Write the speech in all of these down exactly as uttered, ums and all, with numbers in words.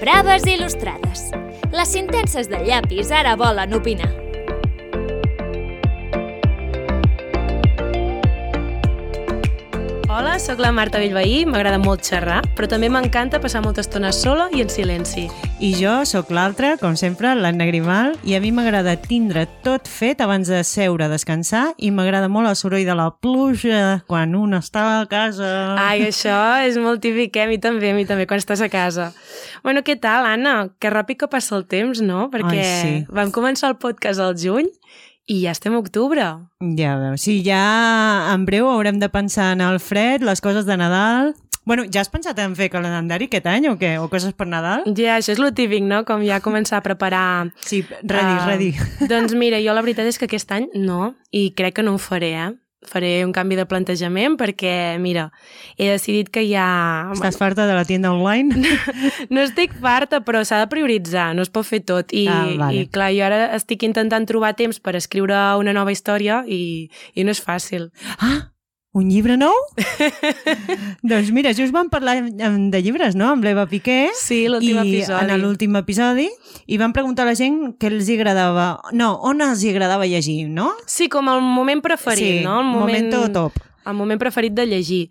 Braves il·lustrades. Les sentences de llapis ara volen opinar. Hola, sóc la Marta Bellveí, m'agrada molt xerrar, però també m'encanta passar molta estona sola i en silenci. I jo sóc l'altra, com sempre, l'Anna Grimal, i a mi m'agrada tindre tot fet abans de seure a descansar i m'agrada molt el soroll de la pluja quan un està a casa. Ai, això és molt típic, eh? A mi també, a mi també, quan estàs a casa. Bueno, què tal, Anna? Que ràpid que passa el temps, no? Perquè Ai, sí. Vam començar el podcast al juny i ja estem a octubre. Ja veus, sí, ja en breu haurem de pensar en el fred, les coses de Nadal. Bueno, ja has pensat en fer calendari aquest any o què? O coses per Nadal? Ja, això és lo típic, no? Com ja començar a preparar... Sí, ready, uh, ready. Doncs mira, jo la veritat és que aquest any no, i crec que no ho faré, eh? Faré un canvi de plantejament perquè, mira, he decidit que ja... Estàs farta de la tienda online? No estic farta, però s'ha de prioritzar, no es pot fer tot. I, ah, vale. i clar, jo ara estic intentant trobar temps per escriure una nova història i, i no és fàcil. Ah! Un llibre nou? Doncs mira, just vam parlar de llibres, no? Amb l'Eva Piqué. Sí, l'últim episodi. En l'últim episodi. I vam preguntar a la gent què els agradava... No, on els agradava llegir, no? Sí, com el moment preferit, sí, no? El moment... momento top. El moment preferit de llegir.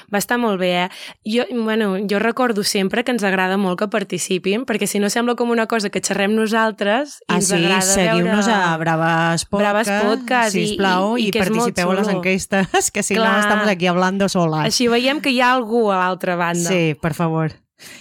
Va estar molt bé, eh? Jo, bueno, jo recordo sempre que ens agrada molt que participin, perquè si no sembla com una cosa que xerrem nosaltres i ah, ens sí, agrada seguiu-nos veure... a Braves Podcast, Braves Podcast sisplau, i, i, i participeu a les enquestes, que si Clar. no estamos aquí hablando solas. Així veiem que hi ha algú a l'altra banda. Sí, per favor.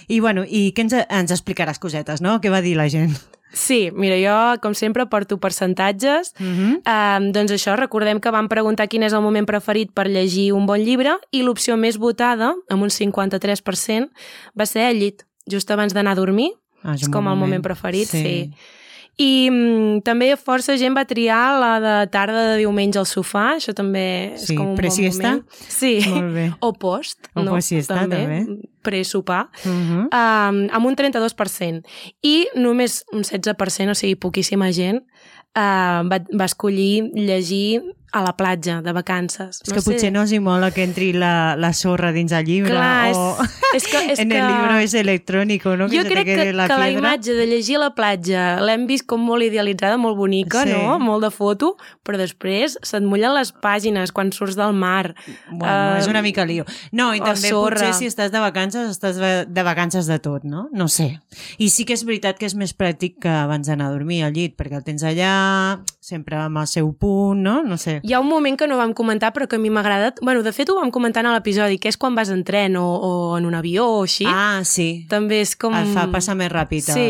I bueno, i què ens, ens explicaràs cosetes, no? Què va dir la gent? Sí, mira, jo, com sempre, porto percentatges. Uh-huh. um, doncs això, recordem que vam preguntar quin és el moment preferit per llegir un bon llibre i l'opció més votada, amb un cinquanta-tres per cent, va ser al llit, just abans d'anar a dormir. Ah, és és com moment. el moment preferit, sí. sí. I um, també força gent va triar la de tarda de diumenge al sofà, això també és sí, com un bon moment. Sí, molt bé. O post, o no? Post-siesta, també. també. Pre-sopar, uh-huh. um, amb un trenta-dos per cent. I només un setze per cent, o sigui, poquíssima gent, uh, va, va escollir llegir a la platja, de vacances. És no que sé. Potser no els hi mola que entri la, la sorra dins el llibre. Clar, o... és, és que, és en que... el llibre és electrònic, no? Que jo crec que, la que la piedra. imatge de llegir a la platja l'hem vist com molt idealitzada, molt bonica, sí. no? Molt de foto, però després se't mullen les pàgines quan surts del mar. Bueno, uh, és una mica lío. No, i també sorra. Potser si estàs de vacances, estàs de vacances de tot, no? No sé. I sí que és veritat que és més pràctic que abans d'anar a dormir al llit, perquè el tens allà, sempre amb el seu punt, no? No sé. Hi ha un moment que no vam comentar, però que a mi m'ha agradat. Bueno, de fet ho vam comentar en l'episodi, que és quan vas en tren o, o en un avió o així. Ah, sí. També és com... Et fa passar més ràpid sí.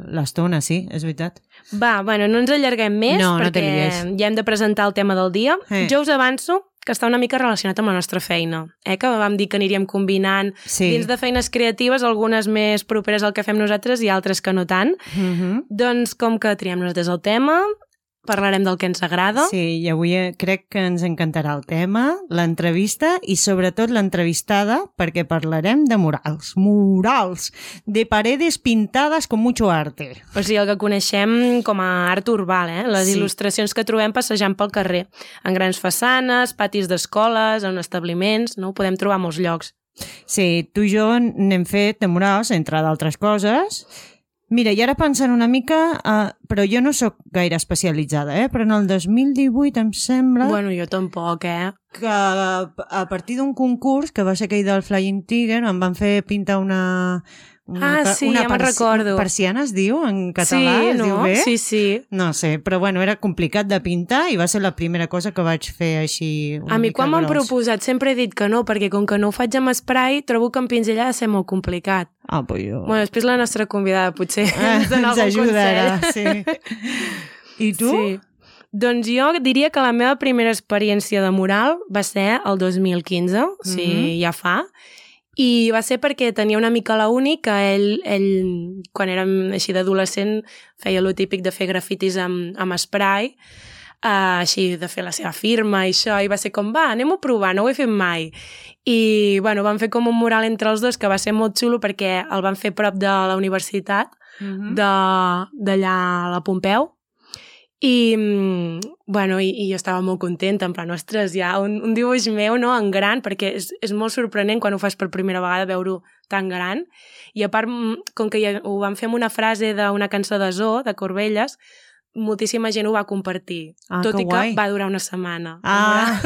l'estona, sí, és veritat. Va, bueno, no ens allarguem més, no, perquè no ja hem de presentar el tema del dia. Eh. Jo us avanço que està una mica relacionat amb la nostra feina, eh? Que vam dir que aniríem combinant sí. dins de feines creatives, algunes més properes al que fem nosaltres i altres que no tant. Uh-huh. Doncs com que triem nosaltres el tema, parlarem del que ens agrada. Sí, i avui crec que ens encantarà el tema, l'entrevista i sobretot l'entrevistada, perquè parlarem de murals. Murals! De paredes pintadas con mucho arte. O sigui, el que coneixem com a art urbà, eh? Les sí. il·lustracions que trobem passejant pel carrer, en grans façanes, patis d'escoles, en establiments, no? Ho podem trobar a molts llocs. Sí, tu i jo n'hem fet de murals, entre d'altres coses. Mira, i ara pensant una mica, uh, però jo no sóc gaire especialitzada, eh? Però en el dos mil divuit em sembla... Bueno, jo tampoc, eh? Que a partir d'un concurs, que va ser aquell del Flying Tiger, em van fer pintar una... Una, ah, sí, una ja me'n recordo. Persiana es diu en català? Sí, es no? diu bé? Sí, sí. No sé, però bueno, era complicat de pintar i va ser la primera cosa que vaig fer així una A mi mica quan m'han gros. proposat sempre he dit que no, perquè com que no ho faig amb spray, trobo que amb pinzell ha de ser molt complicat. Ah, però jo... Bueno, després la nostra convidada potser ah, ens dona ens algun ajudarà, consell. Sí. I tu? Sí. Doncs jo diria que la meva primera experiència de mural va ser el dos mil quinze, o sigui, mm-hmm. ja fa, i va ser perquè tenia una mica la uni que ell, ell quan érem així d'adolescent, feia lo típic de fer grafitis amb, amb spray, uh, així de fer la seva firma i això, i va ser com, va, anem-ho a provar, no ho he fet mai. I, bueno, vam fer com un mural entre els dos que va ser molt xulo perquè el van fer prop de la universitat, mm-hmm. d'allà a la Pompeu, I, bueno, i, i jo estava molt contenta, en plan, ostres, hi ha un, un dibuix meu, no?, en gran, perquè és, és molt sorprenent quan ho fas per primera vegada veure-ho tan gran. I a part, com que ja ho vam fer amb una frase d'una cançó de Zoo, de Corbelles, moltíssima gent ho va compartir. Ah, tot que i que guai. va durar una setmana. Ah,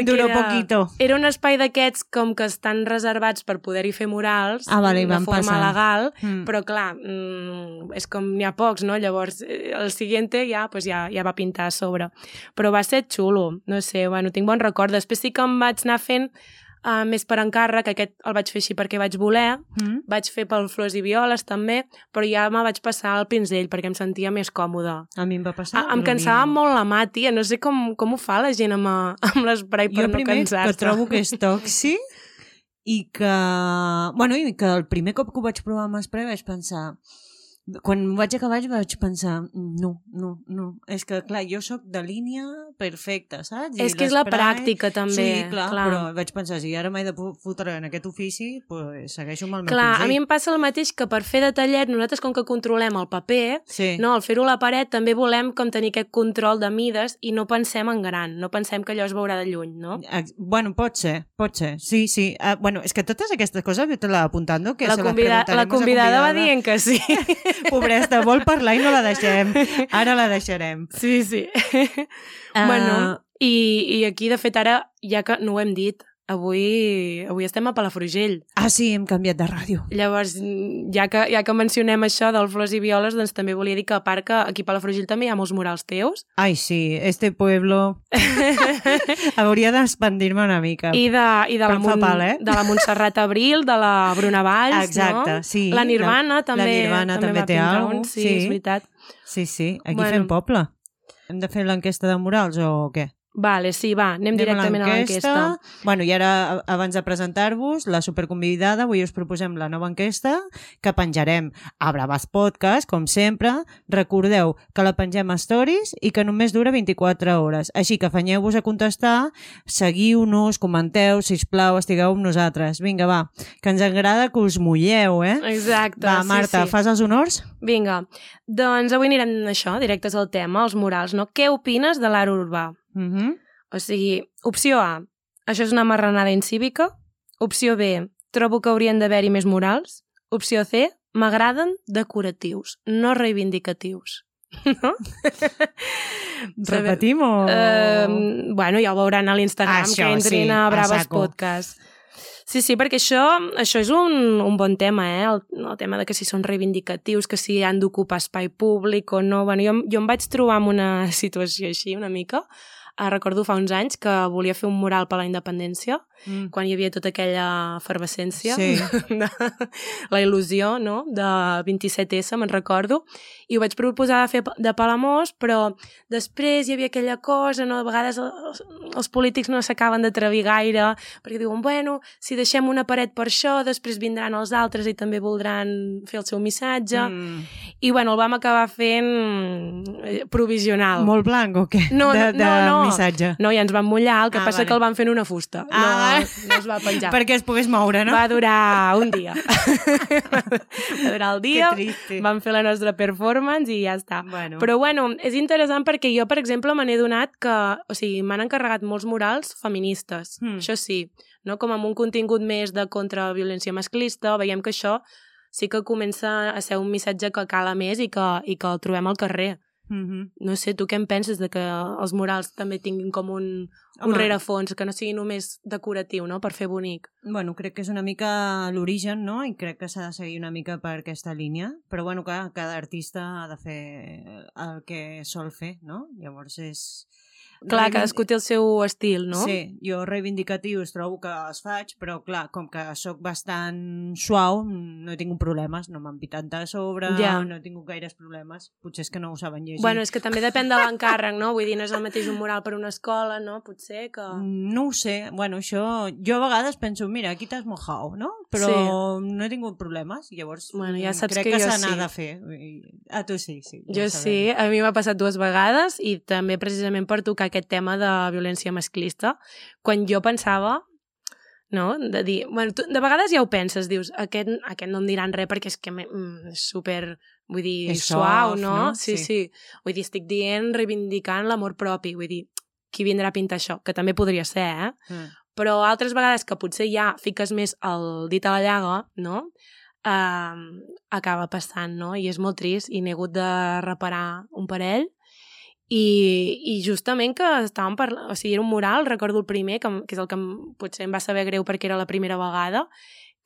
duró era, poquito. Era un espai d'aquests com que estan reservats per poder-hi fer murals Ah, vale, de van forma passant. legal, Mm. però clar, mm, és com n'hi ha pocs, no? Llavors, eh, el siguiente ja, pues ja, ja va pintar a sobre. Però va ser xulo, no sé, bueno, tinc bon record. Després sí que em vaig anar fent uh, més per encàrrec, aquest el vaig fer així perquè vaig voler, Mm. vaig fer pel Flors i Violes també, però ja me vaig passar al pinzell perquè em sentia més còmoda. A mi em va passar. Ah, em cansava molt la mà, tia. No sé com, com ho fa la gent amb, amb l'esprai per jo no primer cansar-se. que trobo que és tòxic i que... Bueno, i que el primer cop que ho vaig provar amb esprai vaig pensar... Quan ho vaig acabar vaig pensar no, no, no. És que, clar, jo sóc de línia perfecta, saps? I És que és la l'esprai- pràctica, també. Sí, clar, clar. però vaig pensar, si ara m'he de fotre en aquest ofici, pues, segueixo amb el meu Clar, pinzell. a mi em passa el mateix que per fer detallet, nosaltres com que controlem el paper, Sí. no, al fer-ho a la paret també volem com tenir aquest control de mides i no pensem en gran, no pensem que allò es veurà de lluny, no? Ex- Bueno, pot ser, pot ser, sí, sí. Uh, bueno, és que totes aquestes coses te l'ha apuntando, que La, se convida les la convidada va dient que sí. Pobresta, vol parlar i no la deixem. Ara la deixarem. Sí, sí. Uh, Bueno, i, i aquí, de fet, ara, ja que no ho hem dit, avui, avui estem a Palafrugell. Ah, sí, hem canviat de ràdio. Llavors, ja que, ja que mencionem això del Flors i Violes, doncs també volia dir que a part que aquí a Palafrugell també hi ha molts murals teus. Ai, sí, este pueblo hauria d'expandir-me una mica. I de, i de, la, Però em fa Mon, pal, eh? de la Montserrat Abril, de la Bruna Valls, Exacte, no? sí. La Nirvana La- també, la Nirvana també va té pintar algo, un, sí, sí. és veritat. Sí, sí, aquí Bueno. fem poble. Hem de fer l'enquesta de murals o què? Vale, sí, va, anem, Anem directament a l'enquesta. Bueno, i ara, a- abans de presentar-vos, la superconvidada, avui us proposem la nova enquesta que penjarem a Bravas Podcast, com sempre. Recordeu que la pengem a Stories i que només dura vint-i-quatre hores. Així que afanyeu-vos a contestar, seguiu-nos, comenteu, sisplau, estigueu amb nosaltres. Vinga, va, que ens agrada que us mulleu, eh? Exacte, Va, sí, Marta, sí. fas els honors? Vinga, doncs avui anirem això, directes al tema, els murals, no? Què opines de l'art urbà? Uh -huh. O sigui, opció A, això és una marranada incívica. Opció B, trobo que haurien d'haver-hi més murals. Opció C, m'agraden decoratius, no reivindicatius. No? Repetim o...? Uh, bueno, ja ho veuran a l'Instagram, Això, que entrin sí, a a Braves saco. Podcast. Sí, sí, perquè això, això és un, un bon tema, eh? El, el tema de que si són reivindicatius, que si han d'ocupar espai públic o no. Bueno, jo, jo em vaig trobar en una situació així, una mica. Uh, recordo fa uns anys que volia fer un mural per la independència, Mm. quan hi havia tota aquella efervescència, Sí. de, la il·lusió, no?, de vint-i-set esse, me'n recordo, i ho vaig proposar de fer de Palamós, però després hi havia aquella cosa, no?, a vegades els, els polítics no s'acaben d'atrevir gaire, perquè diuen, bueno, si deixem una paret per això, després vindran els altres i també voldran fer el seu missatge, Mm. i bueno, el vam acabar fent eh, provisional. Molt blanc o què? No, de, no, de no. missatge. No, ja ens vam mullar, el que Ah, passa vale. que el van fer en una fusta. Ah, no, no es va penjar. Perquè es pogués moure, no? Va durar un dia. Va durar el dia, Que triste. vam fer la nostra performance i ja està. Bueno. Però bueno, és interessant perquè jo, per exemple, me n'he donat que, o sigui, m'han encarregat molts murals feministes, Mm. això sí, no? Com amb un contingut més de contra violència masclista, veiem que això sí que comença a ser un missatge que cala més i que, i que el trobem al carrer. Mm-hmm. No sé, tu què en penses de que els murals també tinguin com un, un Home. rerefons, que no sigui només decoratiu, no?, per fer bonic. Bueno, crec que és una mica l'origen, no? I crec que s'ha de seguir una mica per aquesta línia. Però bueno, clar, cada artista ha de fer el que sol fer, no? Llavors és... Clar, Reivin- cadascú té el seu estil, no? Sí, jo reivindicatius trobo que els faig, però clar, com que sóc bastant suau, no he tingut problemes, no m'han pitat de sobre, Ja. no he tingut gaires problemes. Potser és que no ho saben llegir. Bueno, és que també depèn de l'encàrrec, no? Vull dir, no és el mateix un mural per una escola, no? Potser que... No ho sé, bueno, això... Jo a vegades penso, mira, aquí t'has mojado, no? Però Sí. no he tingut problemes, llavors Bueno, ja saps crec que que, jo se n'ha sí. de fer. I- A tu sí, sí. ja Jo ho sí, sabem. a mi m'ha passat dues vegades i també precisament per tocar aquest tema de violència masclista, quan jo pensava, no?, de dir... Bueno, tu, de vegades ja ho penses, dius, aquest, aquest no em diran res perquè és que me, mm, és super vull dir, És suau, soft, no? no? Sí, Sí. sí. Vull dir, estic dient, reivindicant l'amor propi, vull dir, qui vindrà a pintar això? Que també podria ser, eh? Mm. Però altres vegades que potser ja fiques més el dit a la llaga, no? Uh, acaba passant, no? I és molt trist i n'he hagut de reparar un parell i, i justament que estàvem parlant, o sigui, era un mural, recordo el primer, que, que és el que em, potser em va saber greu perquè era la primera vegada,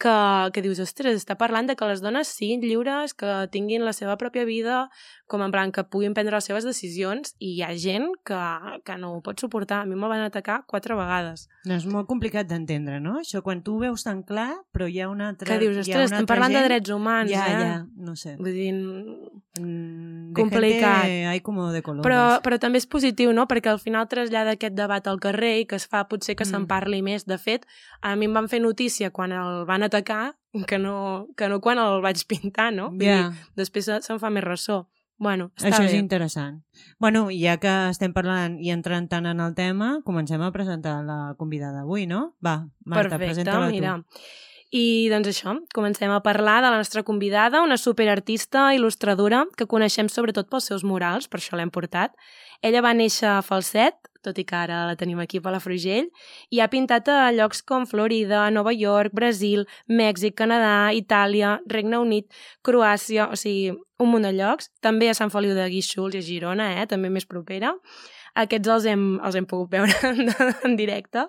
que, que dius, ostres, està parlant de que les dones siguin lliures, que tinguin la seva pròpia vida, com en plan que puguin prendre les seves decisions, i hi ha gent que, que no ho pot suportar. A mi me van atacar quatre vegades. No, és molt complicat d'entendre, no? Això quan tu ho veus tan clar, però hi ha una altra... Que dius, ostres, estem parlant gent... de drets humans, ja, eh? Ja, no sé. Vull dir, mm, complicat. De gente hay como de colores. Però, però també és positiu, no? Perquè al final trasllada aquest debat al carrer i que es fa potser que mm. se'n parli més. De fet, a mi em van fer notícia quan el van atacar que no, que no quan el vaig pintar, no? Vull yeah. dir, després se'n fa més ressò. Bueno, està Això bé. és interessant. Bueno, ja que estem parlant i entrant tant en el tema, comencem a presentar la convidada d'avui, no? Va, Marta, presenta-la tu. Mira. I doncs això, comencem a parlar de la nostra convidada, una superartista, il·lustradora, que coneixem sobretot pels seus murals, per això l'hem portat. Ella va néixer a Falset, tot i que ara la tenim aquí a Palafrugell, i ha pintat a llocs com Florida, Nova York, Brasil, Mèxic, Canadà, Itàlia, Regne Unit, Croàcia, o sigui, un munt de llocs. També a Sant Feliu de Guíxols i a Girona, eh? També més propera. Aquests els hem, els hem pogut veure en directe.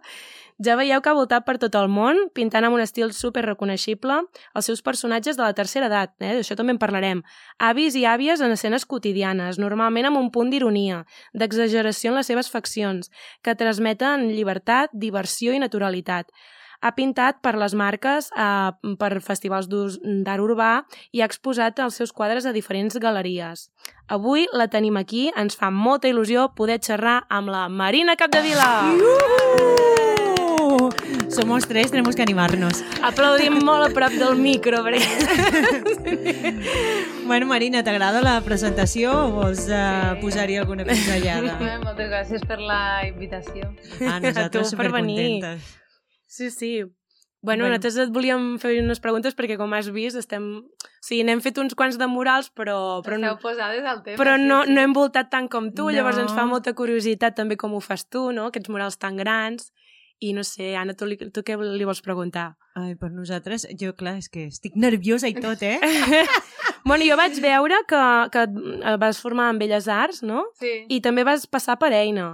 Ja veieu que ha voltat per tot el món, pintant amb un estil super reconeixible els seus personatges de la tercera edat, eh? D'això també en parlarem. Avis i àvies en escenes quotidianes, normalment amb un punt d'ironia, d'exageració en les seves faccions, que transmeten llibertat, diversió i naturalitat. Ha pintat per les marques, eh, per festivals d'art urbà i ha exposat els seus quadres a diferents galeries. Avui la tenim aquí, ens fa molta il·lusió poder xerrar amb la Marina Capdevila! Uh! Somos tres, tenemos que animarnos. Aplaudim molt a prop del micro, perquè... Bueno, Marina, t'agrada la presentació o vols uh, posar-hi alguna pinzellada? Moltes gràcies per la invitació. Ah, nosaltres per venir. supercontentes. Sí, sí. Bueno, Bueno. nosaltres et volíem fer unes preguntes perquè, com has vist, estem... O sigui, n'hem fet uns quants de murals, però... però Esteu posades al tema. Però no, sí, sí. no hem voltat tant com tu, No. llavors ens fa molta curiositat també com ho fas tu, no? Aquests murals tan grans. I no sé, Anna, tu, li, tu què li vols preguntar? Ai, per nosaltres, jo, clar, és que estic nerviosa i tot, eh? Bueno, jo vaig veure que, que et vas formar en Belles Arts, no? Sí, I també vas passar per Eina.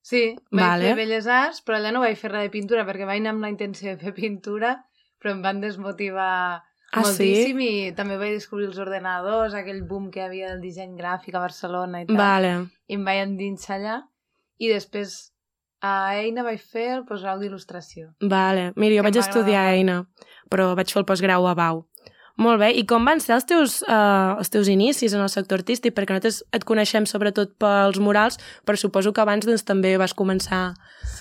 sí. Vaig Vale. fer Belles Arts, però allà no vaig fer res de pintura, perquè vaig anar amb la intenció de fer pintura, però em van desmotivar Ah, moltíssim i també vaig descobrir els ordenadors, aquell boom que hi havia del disseny gràfic a Barcelona i tal. Vale. I em vaig endinsar allà i després a Eina vaig fer el postgrau d'il·lustració. Vale. Mira, jo Que vaig m'agrada estudiar a molt. Eina, però vaig fer el postgrau a Bau. Molt bé. I com van ser els teus, uh, els teus inicis en el sector artístic? Perquè nosaltres et coneixem sobretot pels murals, però suposo que abans doncs, també vas començar...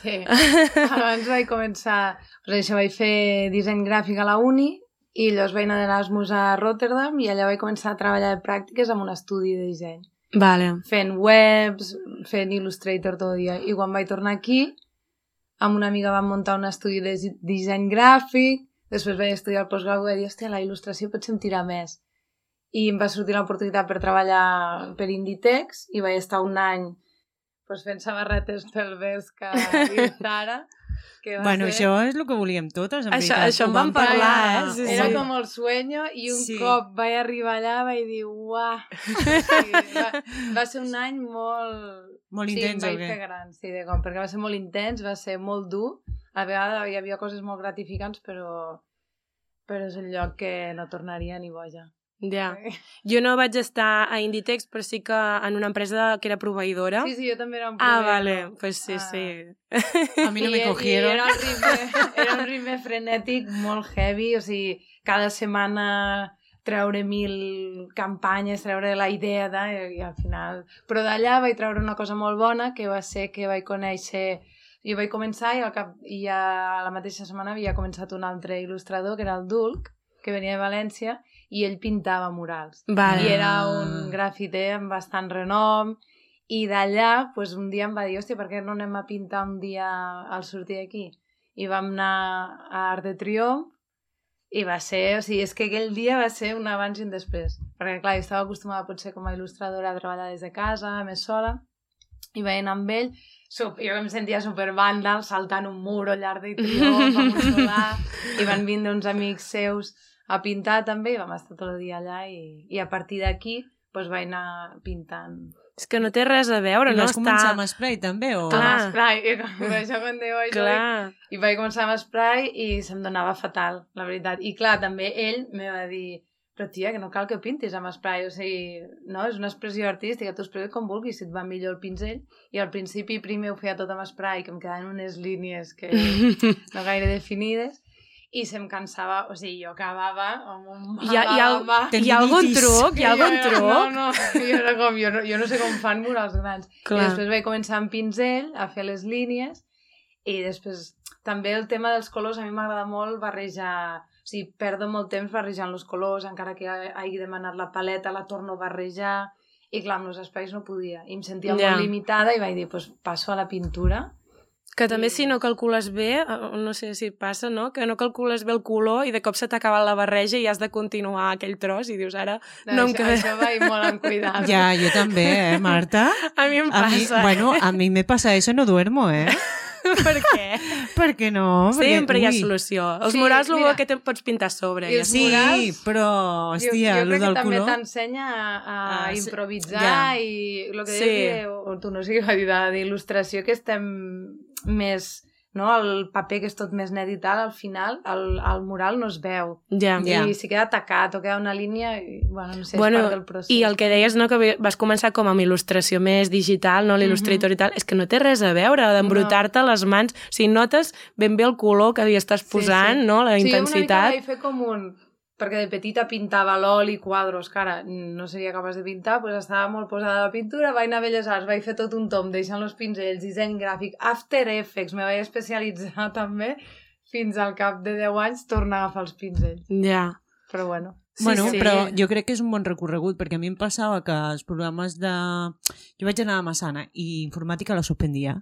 Sí. Abans vaig començar... Pues això, vaig fer disseny gràfic a la uni i llavors vaig anar d'Erasmus a Rotterdam i allà vaig començar a treballar de pràctiques en un estudi de disseny. Vale. Fent webs, fent Illustrator tot el dia. I quan vaig tornar aquí, amb una amiga vam muntar un estudi de disseny gràfic, després vaig estudiar el postgrau i vaig dir, hòstia, la il·lustració potser em tira més. I em va sortir l'oportunitat per treballar per Inditex i vaig estar un any pues, fent samarretes pel Vesca i Zara. Que va Bueno, ser... això és el que volíem totes, en Això- veritat. això en Ho vam parlar, eh? Sí, Era sí. com el sueño i un Sí. cop vaig arribar allà vaig dir, uah, sí, va, va ser un any molt... Molt sí, intens, em o vaig què? fer gran, sí, de com, perquè va ser molt intens, va ser molt dur, a vegades hi havia coses molt gratificants, però, però és un lloc que no tornaria ni boja. Ja. Jo no vaig estar a Inditex, però sí que en una empresa que era proveïdora. Sí, sí, jo també era un Ah, proveïdor. vale. Pues sí, Ah. sí. A mi no I- me cogieron. I era un ritme, era un ritme frenètic molt heavy, o sigui, cada setmana treure mil campanyes, treure la idea de, i al final... Però d'allà vaig treure una cosa molt bona, que va ser que vaig conèixer... Jo vaig començar i, al cap, i ja la mateixa setmana havia començat un altre il·lustrador, que era el Dulc, que venia de València, i ell pintava murals. Vale. I era un grafiter amb bastant renom, i d'allà pues, un dia em va dir, hòstia, per què no anem a pintar un dia al sortir d'aquí? I vam anar a Art de Triomf I va ser, o sigui, és que aquell dia va ser un abans i un després. Perquè, clar, jo estava acostumada potser com a il·lustradora a treballar des de casa, més sola, i veient amb ell, super, jo em sentia supervàndal, saltant un mur al llarg de triomf, amb un solar, i van vindre uns amics seus a pintar també, i vam estar tot el dia allà, i, i a partir d'aquí doncs vaig anar pintant. És que no té res a veure, I no vas està... començar amb spray també? O... Clar. Amb spray, i com això quan diu això, Clar. i vaig començar amb spray i se'm donava fatal, la veritat. I clar, també ell me va dir, però tia, que no cal que pintis amb spray, o sigui, no, és una expressió artística, tu expresses com vulguis, si et va millor el pinzell. I al principi primer ho feia tot amb spray, que em quedaven unes línies que no gaire definides, i se'm cansava, o sigui, jo acabava amb un mal Hi ha, hi ha, a la mà. hi ha algun truc? Hi ha algun Jo- truc? No, no, jo, era com, jo, no, jo no sé com fan murals grans. Clar. I després vaig començar amb pinzell a fer les línies i després també el tema dels colors a mi m'agrada molt barrejar, o sigui, perdo molt temps barrejant els colors, encara que hagi demanat la paleta, la torno a barrejar, i clar, amb els espais no podia. I em sentia Ja. molt limitada i vaig dir, doncs passo a la pintura. Que també si no calcules bé, eh, no sé si et passa, no? Que no calcules bé el color i de cop se t'ha acabat la barreja i has de continuar aquell tros i dius, ara no em això, queda... això vaig molt en cuidar. Ja, jo també, eh, Marta? A mi em A mi, passa. bueno, a mi me pasa eso, no duermo, eh? Per què? Per què no? Perquè, Sempre hi ha ui, solució. Els Sí, murals, el mira. bo que te'n pots pintar a sobre. I I els ja està. Sí, murals, però, hòstia, jo, jo lo crec que del també color... t'ensenya a, a Ah, sí, improvisar ja. i el que Sí. deies, o, o tu no sé què va dir de- d'il·lustració, que estem més... No? El paper que és tot més net i tal, al final el, el mural no es veu. Ja. Ja. I si queda tacat o queda una línia, i, bueno, no sé, Bueno, és part del procés. I el que deies, no, que vas començar com amb il·lustració més digital, no, l'il·lustrator Mhm. i tal, és que no té res a veure d'embrutar-te les mans. O sigui, notes ben bé el color que hi estàs posant, Sí, sí. no, la Sí, jo una mica intensitat. vaig fer com un... Perquè de petita pintava l'oli, quadros, que ara no seria capaç de pintar, doncs estava molt posada a la pintura, vaig anar a Belles Arts, vaig fer tot un tom deixant els pinzells, disseny gràfic, After Effects, me vaig especialitzar també, fins al cap de deu anys tornar a agafar els pinzells. Ja. Però bueno. Sí, bueno, sí. però jo crec que és un bon recorregut, perquè a mi em passava que els programes de... Jo vaig anar a Massana i informàtica la suspendia,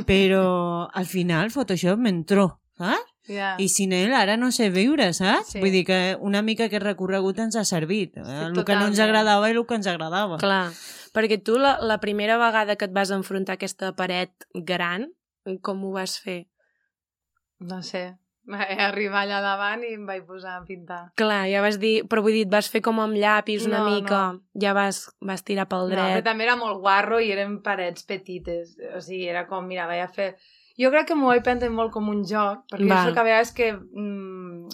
però al final Photoshop m'entró, saps? Ja. I sin ell ara no sé viure, saps? Sí. Vull dir que una mica aquest recorregut ens ha servit. Eh? Sí, el que no ens totalment. agradava i el que ens agradava. Clar, perquè tu la, la primera vegada que et vas enfrontar a aquesta paret gran, com ho vas fer? No sé. Vaig arribar allà davant i em vaig posar a pintar. Clar, ja vas dir... Però vull dir, et vas fer com amb llapis una No, mica, no. ja vas, vas tirar pel No, però dret. també era molt guarro i eren parets petites. O sigui, era com, mira, vaig a fer... Jo crec que m'ho vaig prendre molt com un joc, perquè Val. jo soc a vegades que mm,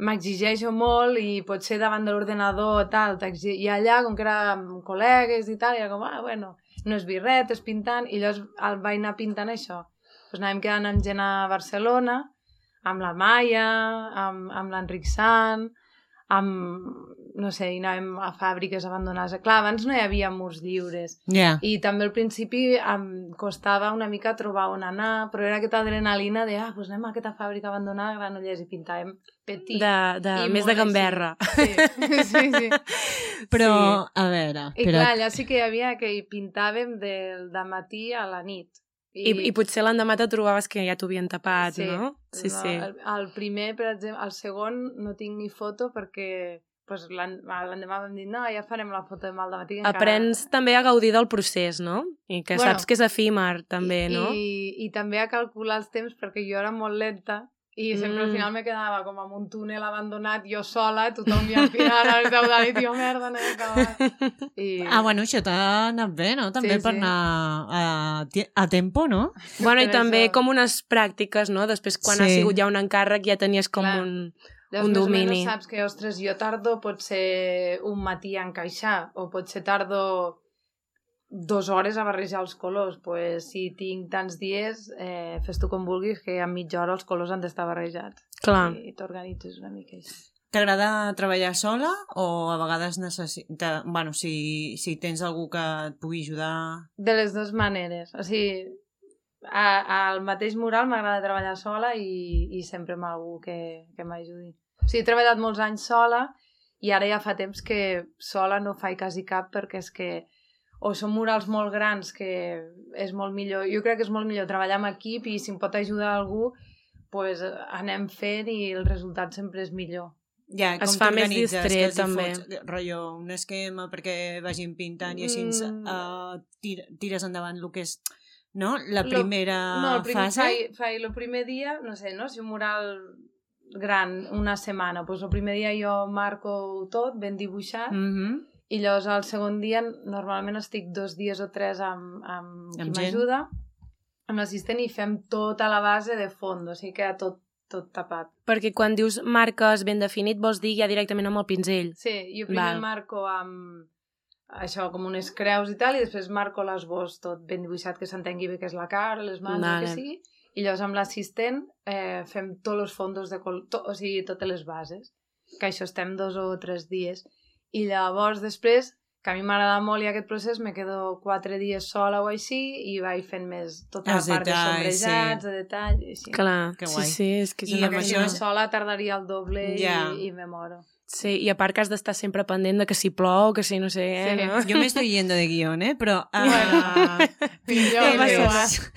m'exigeixo molt i potser davant de l'ordenador tal, t'exi- i allà, com que era amb col·legues i tal, era com, ah, bueno, no és birret, és pintant, i llavors el vaig anar pintant això. Doncs anàvem quedant amb gent a Barcelona, amb la Maia, amb, amb l'Enric Sant, amb, no sé, i anàvem a fàbriques abandonades. Clar, abans no hi havia murs lliures. Ja. I també al principi em costava una mica trobar on anar, però era aquesta adrenalina de, ah, doncs anem a aquesta fàbrica abandonada a Granollers i pintàvem petit. De, de, i més molt de gamberra. així. Sí, sí, sí. Però, Sí. a veure... I Però... clar, allà sí que hi havia que hi pintàvem del matí a la nit. I, I potser l'endemà te trobaves que ja t'ho havien tapat, Sí, no? Sí, no, sí. El, el primer, per exemple, el segon no tinc ni foto perquè pues, l'en- l'endemà vam dir, no, ja farem la foto demà al matí. que encara- Aprens també a gaudir del procés, no? I que Bueno, saps que és efímer, també, I, no? I, I també a calcular els temps, perquè jo era molt lenta i sempre al Mm. final me quedava com en un túnel abandonat, jo sola, tothom ja al final a les deu de la nit, jo, merda, no he acabat. I... Ah, bueno, això t'ha anat bé, no? També Sí, per sí. anar a, ti- a tempo, no? Bueno, i Per també això- com unes pràctiques, no? Després, quan Sí. ha sigut ja un encàrrec, ja tenies com Clar. un... Llavors, un més o domini. menys saps que, ostres, jo tardo potser un matí a encaixar, o potser tardo dues hores a barrejar els colors. Pues, si tinc tants dies, eh, fes tu com vulguis, que a mitja hora els colors han d'estar barrejats. Clar. I t'organitzes una mica així. T'agrada treballar sola o a vegades necessita... Bueno, si, si tens algú que et pugui ajudar... De les dues maneres. O sigui, a, al mateix mural m'agrada treballar sola i, i sempre amb algú que, que m'ajudi. O sigui, he treballat molts anys sola i ara ja fa temps que sola no faig quasi cap perquè és que o són murals molt grans que és molt millor, jo crec que és molt millor treballar amb equip i si em pot ajudar algú pues anem fent i el resultat sempre és millor. Ja, Es com fa més t'organitzes, distret, que els hi també. fots, rotllo, un esquema perquè vagin pintant i així Mm. uh, tir tires endavant el que és, no? La Lo- primera no, el primer, fase. Fai, fai el primer dia, no sé, no? Si un mural gran, una setmana, doncs el primer dia jo marco tot, ben dibuixat, Mm -hmm. i llavors el segon dia normalment estic dos dies o tres amb, amb qui Amb gent. m'ajuda, amb l'assistent, i fem tota la base de fons, o sigui que tot, tot tapat. Perquè quan dius marques ben definit, vols dir ja directament amb el pinzell. Sí, jo primer Val. marco amb això, com unes creus i tal, i després marco l'esbós tot ben dibuixat, que s'entengui bé que és la cara, les mans, Vale. el que sigui, i llavors amb l'assistent eh, fem tots els fondos de col to, o sigui, totes les bases, que això estem dos o tres dies, i llavors després, que a mi m'agrada molt i aquest procés, me quedo quatre dies sola o així, i vaig fent més tota la Els part detalls, de sombrejats, sí. de detall, i així. Clar, Que sí, guai. sí, és que és I una amb Perquè si això no és- sola tardaria el doble Ja. i, i me moro. Sí, i a part que has d'estar sempre pendent de que si plou, que si no sé què, Sí. no? Jo m'estoy yendo de guión, eh? Però... Uh, pinceles.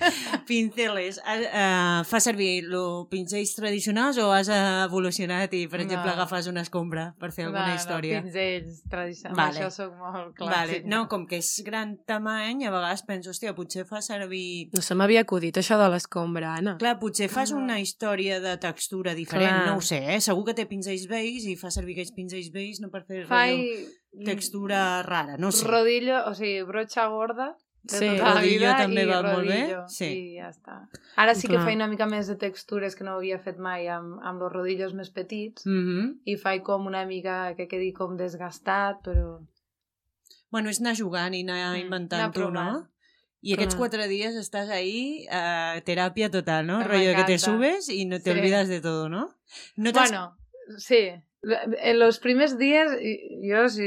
pinceles. Uh, fa servir los pincells tradicionals o has evolucionat i, per exemple, No. agafes una escombra per fer alguna No, història? No, pinzells tradicionals. Vale. Això sóc molt clàssic. Vale. No, com que és gran tamany, a vegades penso, hòstia, potser fa servir... No se m'havia acudit això de l'escombra, Anna. Clar, potser fas No. una història de textura diferent, Clar. no ho sé, eh? Segur que té pinzells vells i fa servir aquells pinzells vells no per fer rotllo, Fai textura rara, no sé. rodillo, o sigui, broxa gorda de Sí, tota la rodillo vida també i va molt bé, rodillo, sí. i ja està. Ara sí que Clar. faig una mica més de textures que no havia fet mai amb, amb els rodillos més petits, Mm -hmm. i faig com una mica que quedi com desgastat, però... Bueno, és anar jugant i anar Mm, inventant anar tu, no? provant. I aquests Clar. quatre dies estàs ahí, uh, teràpia total, no? Me Rollo que te encanta. subes y no te Sí. olvidas de todo, ¿no? No t'has- Bueno, sí. En los primers dies, i- jo, si,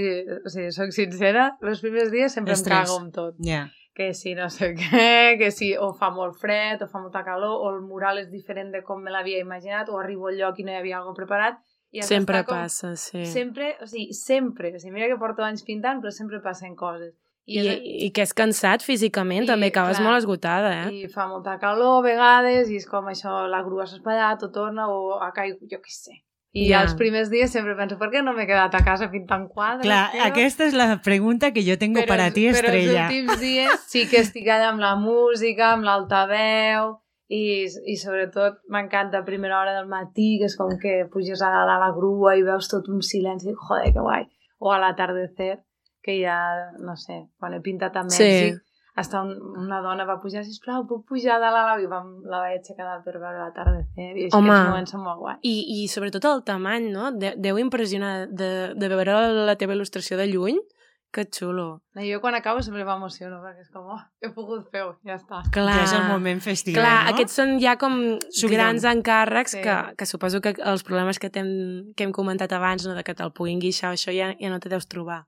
o sigui, soc sincera, los primers dies sempre Estrès. em cago amb tot. Ja. Que si no sé què, que si o fa molt fred, o fa molta calor, o el mural és diferent de com me l'havia imaginat, o arribo al lloc i no hi havia alguna preparat. I has Sempre d'estar com- passa, sí. Sempre, o sigui, sempre. O sigui, mira que porto anys pintant, però sempre passen coses. I, és- I que és cansat físicament, I, també acabes clar, molt esgotada, eh? I fa molta calor a vegades, i és com això, la grua s'ha espatllat, o torna, o ha caigut, jo què sé. I Ja. els primers dies sempre penso, per què no m'he quedat a casa pintant quadres? Clar, tio? aquesta és la pregunta que jo tengo Però para els- ti, Estrella. Però els últims dies sí que estic allà amb la música, amb l'altaveu, i, i sobretot m'encanta a primera hora del matí, que és com que puges a dalt a la grua i veus tot un silenci, joder, que guai. O a l'atardecer, que ja, no sé, quan he pintat a Mèxic, Sí. hasta un, una dona va pujar, sisplau, puc pujar de la i vam, la vaig aixecar dalt per veure l'atardecer, i és Home. que els moments són molt guais. I, i sobretot el tamany, no? De, deu impressionar de, de veure la teva il·lustració de lluny. Que xulo. No, jo quan acabo sempre m'emociono, perquè és com, oh, he pogut fer-ho, ja està. Ja és el moment festiu, Clar, no? aquests són ja com Subidon. grans encàrrecs Sí. que, que suposo que els problemes que, hem, que hem comentat abans, no, de que te'l puguin guixar, això ja, ja no te deus trobar.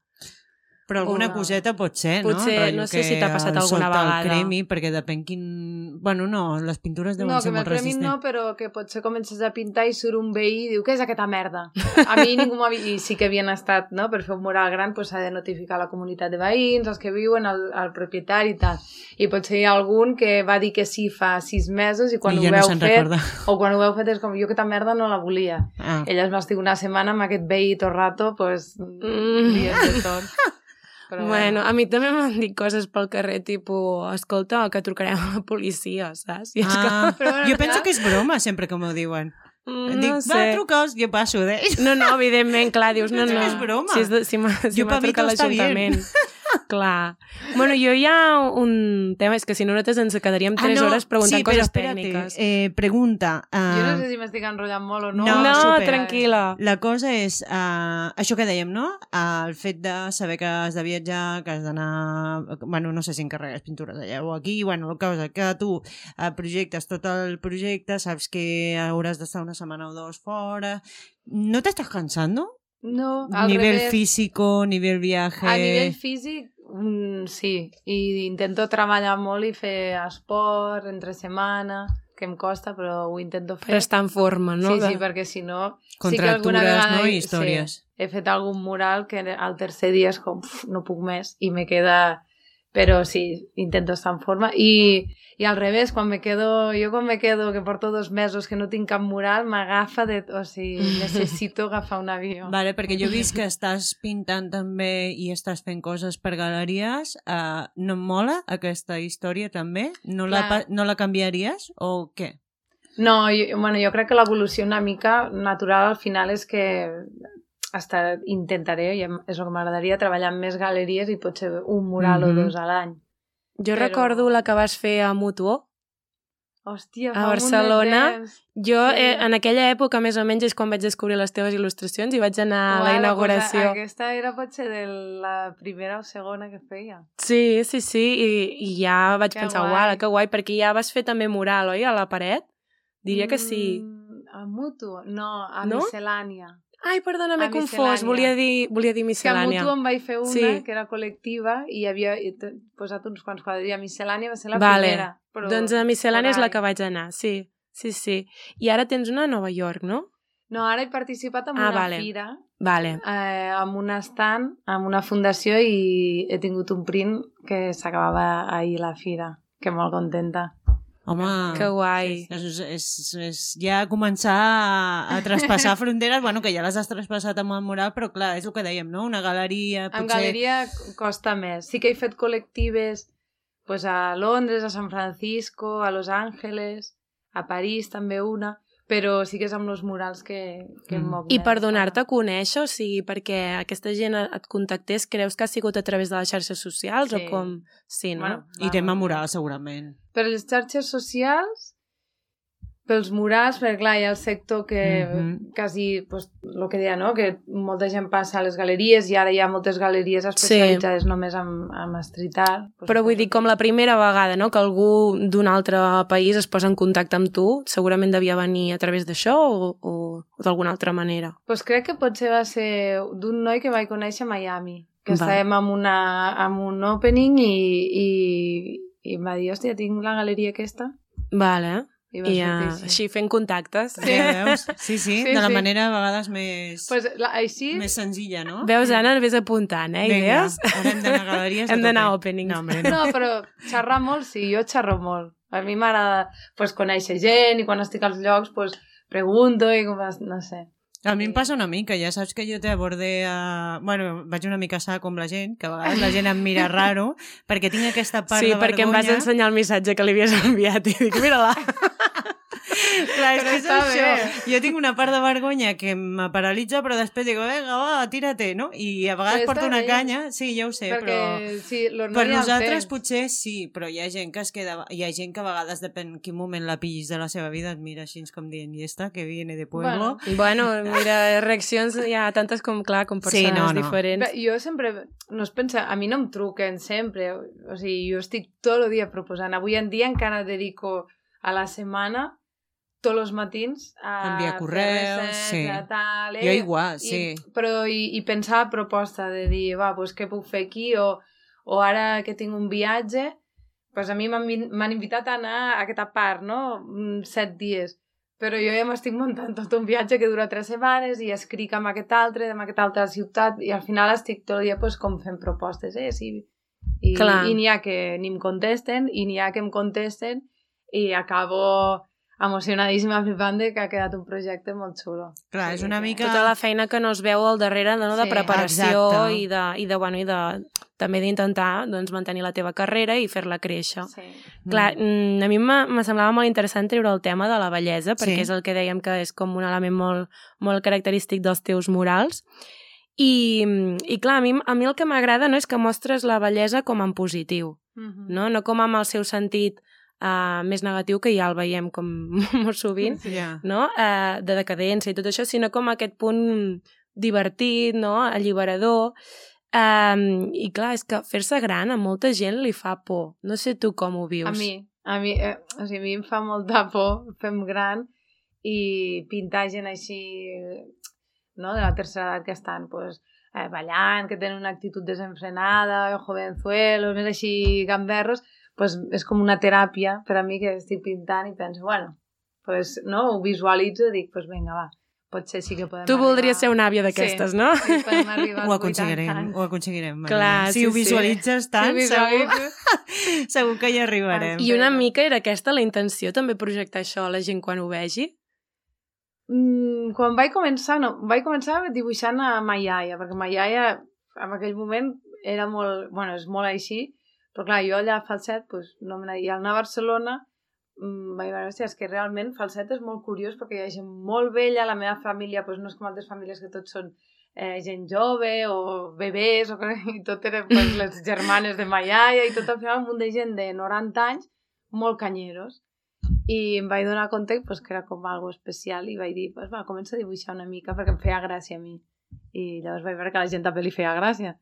Però alguna Una- coseta pot ser, no? Potser, Rotllo no sé que si t'ha passat el alguna sol te'l vegada. cremi, perquè depèn quin... Bueno, no, les pintures deuen No, que ser me'l molt premin resistents. no, però que potser comences a pintar i surt un veí i diu, què és aquesta merda? A mi ningú m'ha vist, i sí que havien estat, no?, per fer un mural gran pues, s'ha de notificar la comunitat de veïns, els que viuen, el, el propietari i tal. I potser hi ha algun que va dir que sí fa sis mesos i quan I ho ja no veu se'n fet, recorda. o quan ho veu fet és com, jo aquesta merda no la volia. Ah. Ella es va estar una setmana amb aquest veí tot rato, pues, Mm. dies de tot. Però Bueno, a mi també m'han dit coses pel carrer, tipus, escolta, que trucarem a la policia, saps? I és Ah, Però bueno, jo clar. penso que és broma sempre que m'ho diuen. com, Em Dic, no va, sé. truca'ls, jo passo d'ells. No, no, evidentment, clar, dius, no, Penso no. que és broma. Si, és de, si m'ha si Jo m'ha pa mi trucat todo está bien. l'Ajuntament. Clar. Bueno, jo hi ha un tema, és que si no nosaltres ens quedaríem tres hores preguntant sí, però coses espérate, tècniques. Eh, pregunta. Uh, Jo no sé si m'estic enrotllant molt o no. No, no, super. tranquil·la. La cosa és, uh, això que dèiem, no? Uh, el fet de saber que has de viatjar, que has d'anar... Bueno, no sé si encarregues pintures allà o aquí, bueno, la cosa que tu uh, projectes tot el projecte, saps que hauràs d'estar una setmana o dos fora... ¿No te estás cansando? No, al Nivel revés. físico, nivel viaje... A nivell físic, mm, sí. I intento treballar molt i fer esport entre setmana, que em costa, però ho intento fer. Per estar en forma, no? Sí, De- sí, perquè si no... sí que Contractures, alguna vegada no? he- I històries. Sí, he fet algun mural que al tercer dia és com, uf, no puc més, i me queda Però sí, intento estar en forma. I, i al revés, quan me quedo, jo quan me quedo, que porto dos mesos que no tinc cap mural, m'agafa de... O sigui, necessito agafar un avió. Vale, perquè jo he vist que estàs pintant també i estàs fent coses per galeries. Uh, no em mola aquesta història també? No la, Clar. no la canviaries o què? No, jo, bueno, jo crec que l'evolució una mica natural al final és que hasta intentaré, i és el que m'agradaria, treballar en més galeries i potser un mural Mhm. o dos a l'any. Jo Però- recordo la que vas fer a Mutuo, Hòstia, a fa un munt de Barcelona. temps. Jo, Sí. eh, en aquella època, més o menys, és quan vaig descobrir les teves il·lustracions i vaig anar a la Uala, inauguració. Pues, aquesta era potser de la primera o segona que feia. Sí, sí, sí, i, i ja vaig Que pensar, guai. uala, que guai, perquè ja vas fer també mural, oi, a la paret? Diria que sí. Mm, a Mutu? No, a No? Miscel·lània. Ai, perdona, m'he A confós, miscel·lània. volia dir, volia dir És que a miscel·lània. Mutu en vaig fer una, Sí. que era col·lectiva, i havia i t- posat uns quants quadres. I a Miscel·lània va ser la Vale. primera. Però Doncs a miscel·lània és por la ahí. que vaig anar, sí, sí, sí. I ara tens una a Nova York, no? No, ara he participat en Ah, una vale. fira, Vale. eh, amb un stand, amb una fundació, i he tingut un print que s'acabava ahir la fira, que molt contenta. Home, Que guai. és, és, és ja començar a, a traspassar fronteres, bueno, que ja les has traspassat amb el mural, però clar, és el que dèiem, no? Una galeria, En potser... galeria costa més. Sí que he fet col·lectives pues, a Londres, a San Francisco, a Los Ángeles, a París també una, però sí que és amb els murals que, que em Mm. moc I més. per donar-te a conèixer, o sigui, perquè aquesta gent et contactés, creus que ha sigut a través de les xarxes socials Sí. o com? Sí, no? Bueno, I tema mural, segurament. Per les xarxes socials, pels murals, perquè clar, hi ha el sector que Mhm. quasi, pues, el que deia, no?, que molta gent passa a les galeries i ara hi ha moltes galeries especialitzades sí. només en, en street art. Pues, Però vull dir, com la primera vegada, no?, que algú d'un altre país es posa en contacte amb tu, segurament devia venir a través d'això o, o, o d'alguna altra manera. Pues crec que potser va ser d'un noi que vaig conèixer a Miami, que Va. estàvem amb, una, amb un opening i, i, i em va dir, hòstia, tinc la galeria aquesta. Vale. I va I sortir uh, així. així fent contactes. Sí. Ja veus? Sí, sí, Sí, de la sí. manera a vegades més, Pues, la, així, més senzilla, no? Veus, Anna, vés apuntant, eh, Vinga, idees? ara hem d'anar a galeries. Hem d'anar a tope. openings. No, hombre, no. no, però xerrar molt, sí, jo xerro molt. A mi m'agrada pues, conèixer gent i quan estic als llocs pues, pregunto i com, no sé. A mi em passa una mica, ja saps que jo te abordé a... Bueno, vaig una mica sa com la gent, que a vegades la gent em mira raro, perquè tinc aquesta part Sí, de perquè em vergonya. vas ensenyar el missatge que li havies enviat i dic, mira-la. Clar, és Però que és està això. bé. Jo tinc una part de vergonya que me paralitza, però després dic, vinga, va, tírate, no? I a vegades Però porto està una bé. canya, sí, ja ho sé, Perquè, però... sí, los Per no hi ha nosaltres temps. potser sí, però hi ha gent que es queda... Hi ha gent que a vegades, depèn en quin moment la pillis de la seva vida, et mira així com dient, i esta, que viene de pueblo... Bueno. Bueno, mira, reaccions hi ha tantes com, clar, com Sí, persones no, no. diferents. Bé, jo sempre, no es pensa, a mi no em truquen sempre, o sigui, jo estic tot el dia proposant. Avui en dia encara dedico a la setmana tots els matins a Enviar fer correus, recerca, sí. tal, eh? Jo igual, sí. I, però i, i pensar proposta de dir, va, pues, què puc fer aquí? O, o ara que tinc un viatge, pues a mi m'han vin- m'han invitat a anar a aquesta part, no? Mm, Set dies. Però jo ja m'estic muntant tot un viatge que dura tres setmanes i escric amb aquest altre, amb aquesta altra ciutat, i al final estic tot el dia pues, com fent propostes, eh? Sí. I, Clar. i n'hi ha que ni em contesten, i n'hi ha que em contesten, i acabo emocionadíssima flipant de que ha quedat un projecte molt xulo. Clar, és una mica... Tota la feina que no es veu al darrere no, de Sí, preparació exacte. i de, i de, bueno, i de, també d'intentar doncs, mantenir la teva carrera i fer-la créixer. Sí. Clar, mm, a mi me, me semblava molt interessant treure el tema de la bellesa, perquè Sí. és el que dèiem que és com un element molt, molt característic dels teus murals. I, i clar, a mi, a mi el que m'agrada no és que mostres la bellesa com en positiu, Mhm. no, no com amb el seu sentit uh, més negatiu, que ja el veiem com molt sovint, Ja. no? Uh, de decadència i tot això, sinó com aquest punt divertit, no? Alliberador. Um, I clar, és que fer-se gran a molta gent li fa por. No sé tu com ho vius. A mi, a mi, eh, o sigui, a mi em fa molta por fem gran i pintar gent així, no?, de la tercera edat que estan, pues, eh, ballant, que tenen una actitud desenfrenada, jovenzuelos, més així gamberros, pues és com una teràpia per a mi que estic pintant i penso, bueno, pues, no, ho visualitzo i dic, pues vinga, va, potser sí que podem Tu arribar... voldries ser una àvia d'aquestes, sí. no? Sí, podem arribar Ho als aconseguirem, vuitanta anys. ho aconseguirem. Maria. Clar, si sí, ho sí. visualitzes tant, Si ho segur, visualitzes. segur que hi arribarem. I una mica era aquesta la intenció, també projectar això a la gent quan ho vegi? Mm, quan vaig començar, no, vaig començar dibuixant a ma iaia, perquè ma iaia en aquell moment era molt, bueno, és molt així, però clar, jo allà a Falset, pues, no me n'havia. I al anar a Barcelona mm, vaig veure, hòstia, és que realment Falset és molt curiós perquè hi ha gent molt vella, la meva família pues, no és com altres famílies que tots són eh, gent jove o bebès, o que, i tot eren pues, les germanes de ma iaia i tot al final un munt de gent de noranta anys molt canyeros. I em vaig donar compte pues, que era com algo especial i vaig dir, pues, va, comença a dibuixar una mica perquè em feia gràcia a mi. I llavors vaig veure que a la gent també li feia gràcia.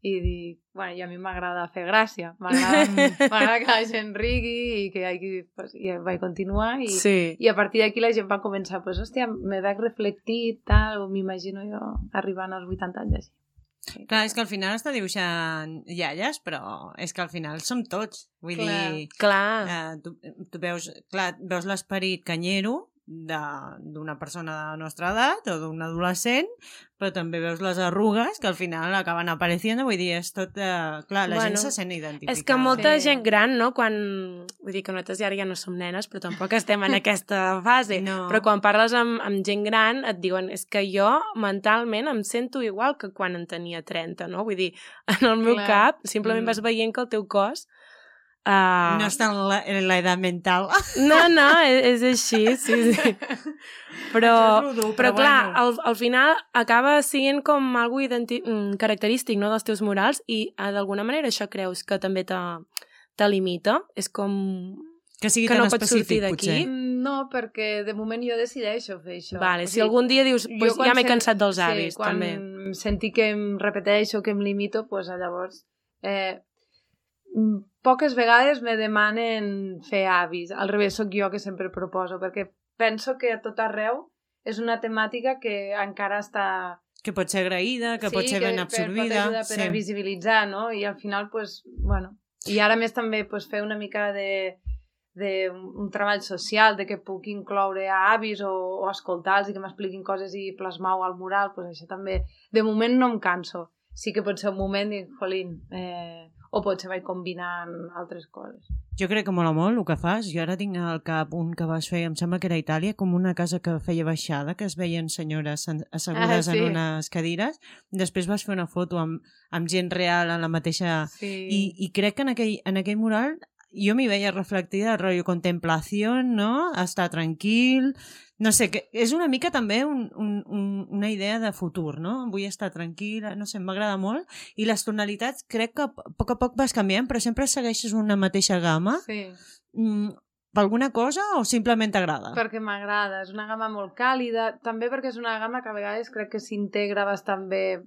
I dic, bueno, i a mi m'agrada fer gràcia. M'agrada que la gent rigui i que hi hagi... Pues, i vaig continuar i, Sí. i a partir d'aquí la gent va començar, pues, hòstia, me veig reflectit, tal, o m'imagino jo arribant als vuitanta anys així. Sí. Clar, és que al final està dibuixant iaies, però és que al final som tots. Vull Clar. dir, Clar. eh, tu, tu veus, clar, veus l'esperit canyero d'una persona de la nostra edat o d'un adolescent, però també veus les arrugues que al final acaben apareixent, vull dir, és tot... Eh, clar, la Bueno, gent se sent identificada. És que molta Sí. gent gran, no?, quan... Vull dir que nosaltres ara ja no som nenes, però tampoc estem en aquesta fase. No. Però quan parles amb, amb gent gran et diuen és que jo mentalment em sento igual que quan en tenia trenta, no? Vull dir, en el meu Clar. cap simplement Mm. vas veient que el teu cos... Uh... No està en la, en la edat mental. No, no, és, és així, sí, sí. Però, Això és lo dur, però, però clar, bueno. al, al final acaba sent com algo identi- mm, característic, no?, dels teus murals i eh, d'alguna manera això creus que també te, te limita? És com... Que sigui que tan no pots específic, sortir d'aquí. potser. Mm, No, perquè de moment jo decideixo fer això. Vale, O si sigui, algun dia dius, jo pues, quan ja m'he sen- cansat dels avis, sí, quan també. em senti que em repeteixo, que em limito, pues, llavors... Eh, mm, poques vegades me demanen fer avis. Al revés, sóc jo que sempre proposo, perquè penso que a tot arreu és una temàtica que encara està... Que pot ser agraïda, que sí, pot ser ben que absorbida. pot ajudar per sí. a visibilitzar, no? I al final, pues, bueno... I ara més també pues, fer una mica de, de un, un treball social, de que puc incloure a avis o, o escoltar-los i que m'expliquin coses i plasmar-ho al mural, pues això també... De moment no em canso. Sí que pot ser un moment i dic, jolín, eh, o potser vaig combinant altres coses. Jo crec que mola molt el que fas. Jo ara tinc al cap un que vas fer, em sembla que era a Itàlia, com una casa que feia baixada, que es veien senyores assegudes Ah, sí. en unes cadires. Després vas fer una foto amb, amb gent real en la mateixa... Sí. I, i crec que en aquell, en aquell mural jo m'hi veia reflectida el rotllo contemplació, no? Estar tranquil... No sé, que és una mica també un, un, un, una idea de futur, no? Vull estar tranquil·la, no sé, m'agrada molt. I les tonalitats crec que a poc a poc vas canviant, però sempre segueixes una mateixa gamma. Sí, Mm, per alguna cosa o simplement t'agrada? perquè m'agrada. És una gamma molt càlida, també perquè és una gamma que a vegades crec que s'integra bastant bé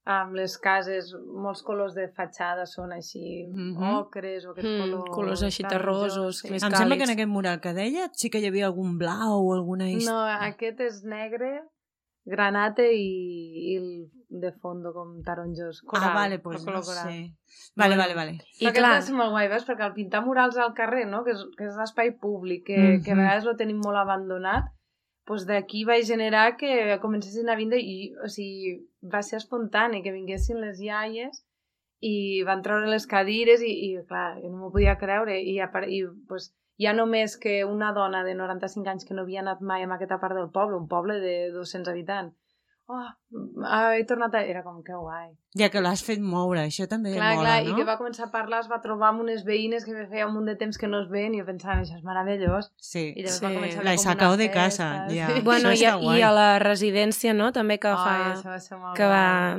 amb les cases. Molts colors de fatxada són així Mhm. ocres o aquests Mm, colors... colors així taronjos, terrosos, sí. més Em sembla que en càlids. aquest mural que deia sí que hi havia algun blau o alguna... hist- No, aquest és negre, granate i, i el de fondo com taronjos. Coral, Ah, vale, pues el color no coral. sé. Vale, Bueno, vale, vale. I I clar, clar, va ser molt guai, veus? Perquè al pintar murals al carrer, no? que és, que és l'espai públic, que, Mhm. que a vegades lo tenim molt abandonat, doncs d'aquí vaig generar que comencessin a vindre i, o sigui, va ser espontani, que vinguessin les iaies i van treure les cadires i, i clar, jo no m'ho podia creure i, a, i pues, ja només que una dona de noranta-cinc anys que no havia anat mai a aquesta part del poble, un poble de dos-cents habitants, oh, he tornat a... Era com que guai. Ja que l'has fet moure, això també Clar, mola, clar, no? i que va començar a parlar, es va trobar amb unes veïnes que feia un munt de temps que no es veien i jo pensava, això és meravellós. Sí. I llavors Sí. va començar a La haver he com sacado una de casa, festa, ja. sí. bueno, Això i, està a, guai. i a la residència, no?, també que fa... Ai, això va ser molt que va...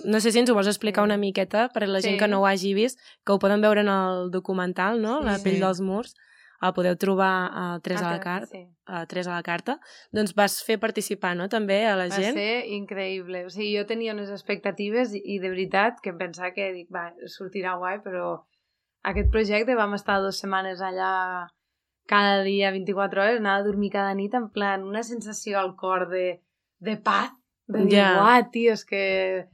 No sé si ens ho vols explicar Sí. una miqueta per a la gent Sí. que no ho hagi vist, que ho poden veure en el documental, no?, La Sí. pell Sí. dels murs, el podeu trobar a tres a la Ah, carta, sí. a tres a la carta. Doncs vas fer participar, no?, també a la Va gent. ser increïble. O sigui, jo tenia unes expectatives i, i de veritat que em pensava que dic, va, sortirà guai, però aquest projecte vam estar dues setmanes allà cada dia, vint-i-quatre hores, anava a dormir cada nit en plan una sensació al cor de, de paz, de dir, Ja. uah, tio, és que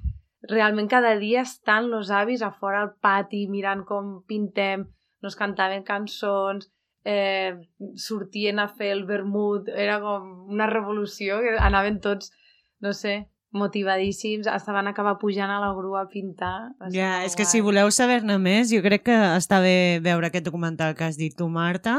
realment cada dia estan los avis a fora al pati mirant com pintem, nos cantaven cançons, eh, sortien a fer el vermut, era com una revolució, que anaven tots, no sé, motivadíssims, estaven a acabar pujant a la grua a pintar. Ja, és que si voleu saber-ne més, jo crec que està bé veure aquest documental que has dit tu, Marta,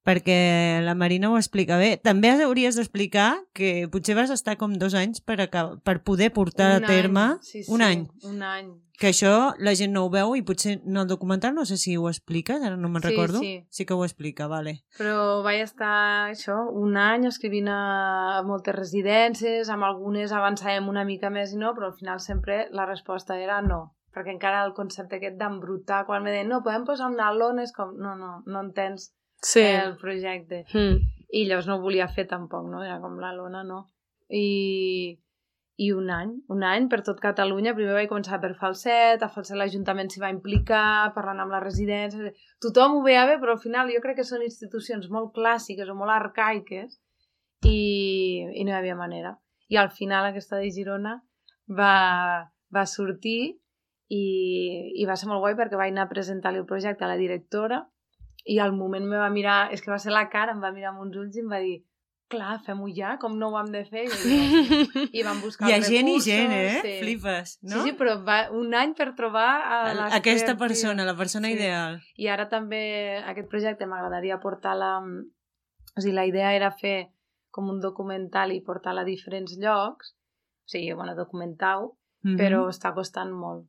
perquè la Marina ho explica bé. També hauries d'explicar que potser vas estar com dos anys per, acabar, per poder portar un a terme any, sí, sí, un any. Un any. Que això la gent no ho veu i potser en el documental no sé si ho expliques, ara no me'n Sí, recordo. sí. Sí que ho explica, vale. Però vaig estar això, un any escrivint a moltes residències, amb algunes avançàvem una mica més i no, però al final sempre la resposta era no, perquè encara el concepte aquest d'embrutar, quan me deien no, podem posar una lona, és com, no, no, no entens Sí. el projecte. Mm. I llavors no ho volia fer tampoc, no? Era com la lona, no. I, i un any, un any per tot Catalunya. Primer vaig començar per Falset, a Falset l'Ajuntament s'hi va implicar, parlant amb la residència. Tothom ho veia bé, però al final jo crec que són institucions molt clàssiques o molt arcaiques i, i no hi havia manera. I al final aquesta de Girona va, va sortir i, i va ser molt guai perquè vaig anar a presentar-li el projecte a la directora i al moment me va mirar, és que va ser la cara, em va mirar amb uns ulls i em va dir clar, fem-ho ja, com no ho hem de fer? I, i vam buscar Hi ha els gent i recursos. gent, eh? Sí. Flipes, no? Sí, sí, però va un any per trobar a la aquesta persona, la persona Sí. ideal. I ara també aquest projecte m'agradaria portar-la... O sigui, la idea era fer com un documental i portar-la a diferents llocs, o sigui, bueno, documentar-ho, Mm-hmm. però està costant molt,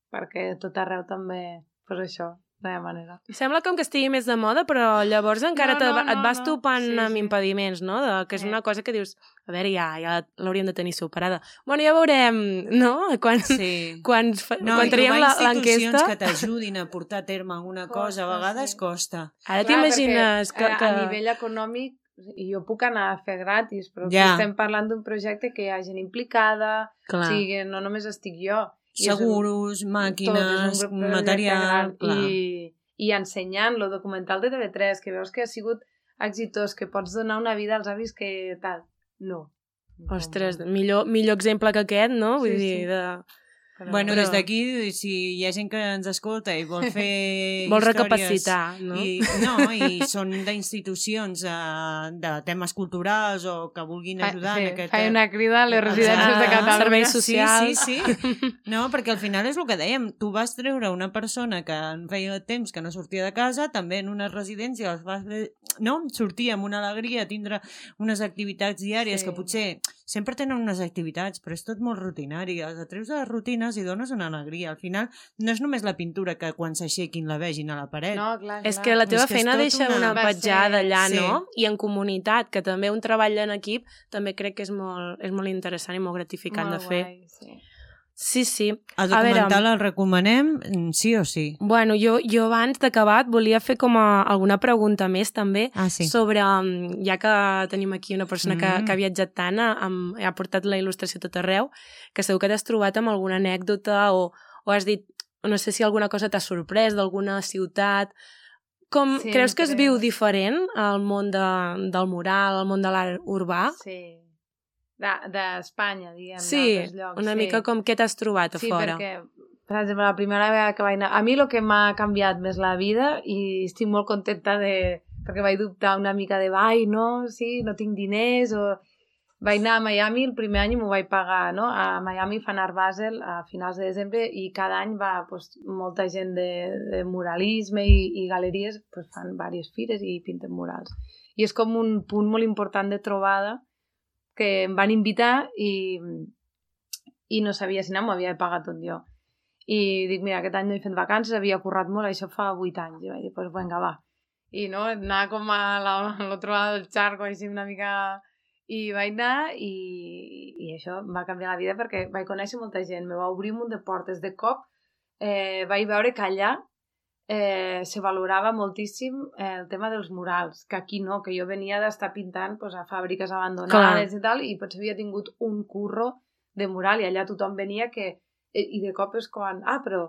perquè tot arreu també, pues això, no hi ha manera. Sembla com que estigui més de moda, però llavors encara No, te, no, no, et vas no. topant Sí, amb sí. impediments, no? De, que és Sí. una cosa que dius, a veure, ja, ja l'hauríem de tenir superada. Bueno, ja veurem, no? Quan, Sí. quan, fa, No, quan i traiem trobar la- institucions l'enquesta... que t'ajudin a portar a terme alguna cosa, a Costa, vegades sí. costa. Ara Clar, t'imagines que, perquè, que... A nivell econòmic, i jo puc anar a fer gratis, però Ja. ja. estem parlant d'un projecte que hi ha gent implicada, Clar. o sigui, que no només estic jo. I és un- Seguros, tot, màquines, és un grup de material... gran. Clar. I, I ensenyant lo documental de T V tres, que veus que ha sigut exitós, que pots donar una vida als avis que tal. No. Ostres, millor, millor exemple que aquest, no? Vull Sí, dir, sí. de... Però... Bueno, Però- des d'aquí, si hi ha gent que ens escolta i vol fer Vol històries... recapacitar, no? I, no, i són d'institucions uh, de temes culturals o que vulguin ajudar sí, en aquest... Faig una crida a les residències de Ah, Catalunya. serveis socials. Sí, sí, sí. No, perquè al final és el que dèiem. Tu vas treure una persona que en feia temps que no sortia de casa, també en una residència, els vas... no? Sortir amb una alegria, tindre unes activitats diàries Sí. que potser sempre tenen unes activitats, però és tot molt rutinari. Els atreus de les rutines i dones una alegria. Al final no és només la pintura que quan s'aixequin la vegin a la paret. No, clar, És clar. que la teva És que és feina tot deixa una- una Va petjada ser- allà, Sí. no? I en comunitat, que també un treball en equip també crec que és molt, és molt interessant i molt gratificant Molt de fer. guai, sí. Sí, sí. El A veure, documental el recomanem mm, sí o sí? Bueno, jo, jo abans d'acabar et volia fer com a alguna pregunta més també Ah, sí. sobre, um, ja que tenim aquí una persona que, Mm. que ha viatjat tant, a- amb, ha portat la il·lustració a tot arreu, que segur que t'has trobat amb alguna anècdota o, o has dit, no sé si alguna cosa t'ha sorprès d'alguna ciutat. Com, Sempre. creus que es viu diferent al món de, del mural, al món de l'art urbà? Sí. De- D'Espanya, diguem, Sí, d'altres llocs. una sí. mica com què t'has trobat a Sí, fora. perquè, per exemple, la primera vegada que vaig anar... A mi el que m'ha canviat més la vida, i estic molt contenta de... perquè vaig dubtar una mica de, ai, no, sí, no tinc diners, o... Vaig anar a Miami, el primer any m'ho vaig pagar, no? A Miami fan Art Basel a finals de desembre i cada any va pues, molta gent de, de muralisme i, i galeries pues, fan diverses fires i pinten murals. I és com un punt molt important de trobada que em van invitar i, i no sabia si anar, m'ho havia pagat tot jo. I dic, mira, aquest any no he fet vacances, havia currat molt, això fa vuit anys. I vaig dir, doncs pues, vinga, va. I no, anar com a la- a l'altre lado del charco, així una mica... I vaig anar i, i això em va canviar la vida perquè vaig conèixer molta gent, me va obrir un munt de portes. De cop eh, vaig veure que allà eh, se valorava moltíssim eh, el tema dels murals, que aquí no, que jo venia d'estar pintant pues, a fàbriques abandonades Clar. i tal, i potser havia tingut un curro de mural i allà tothom venia que... I de cop és quan... Ah, però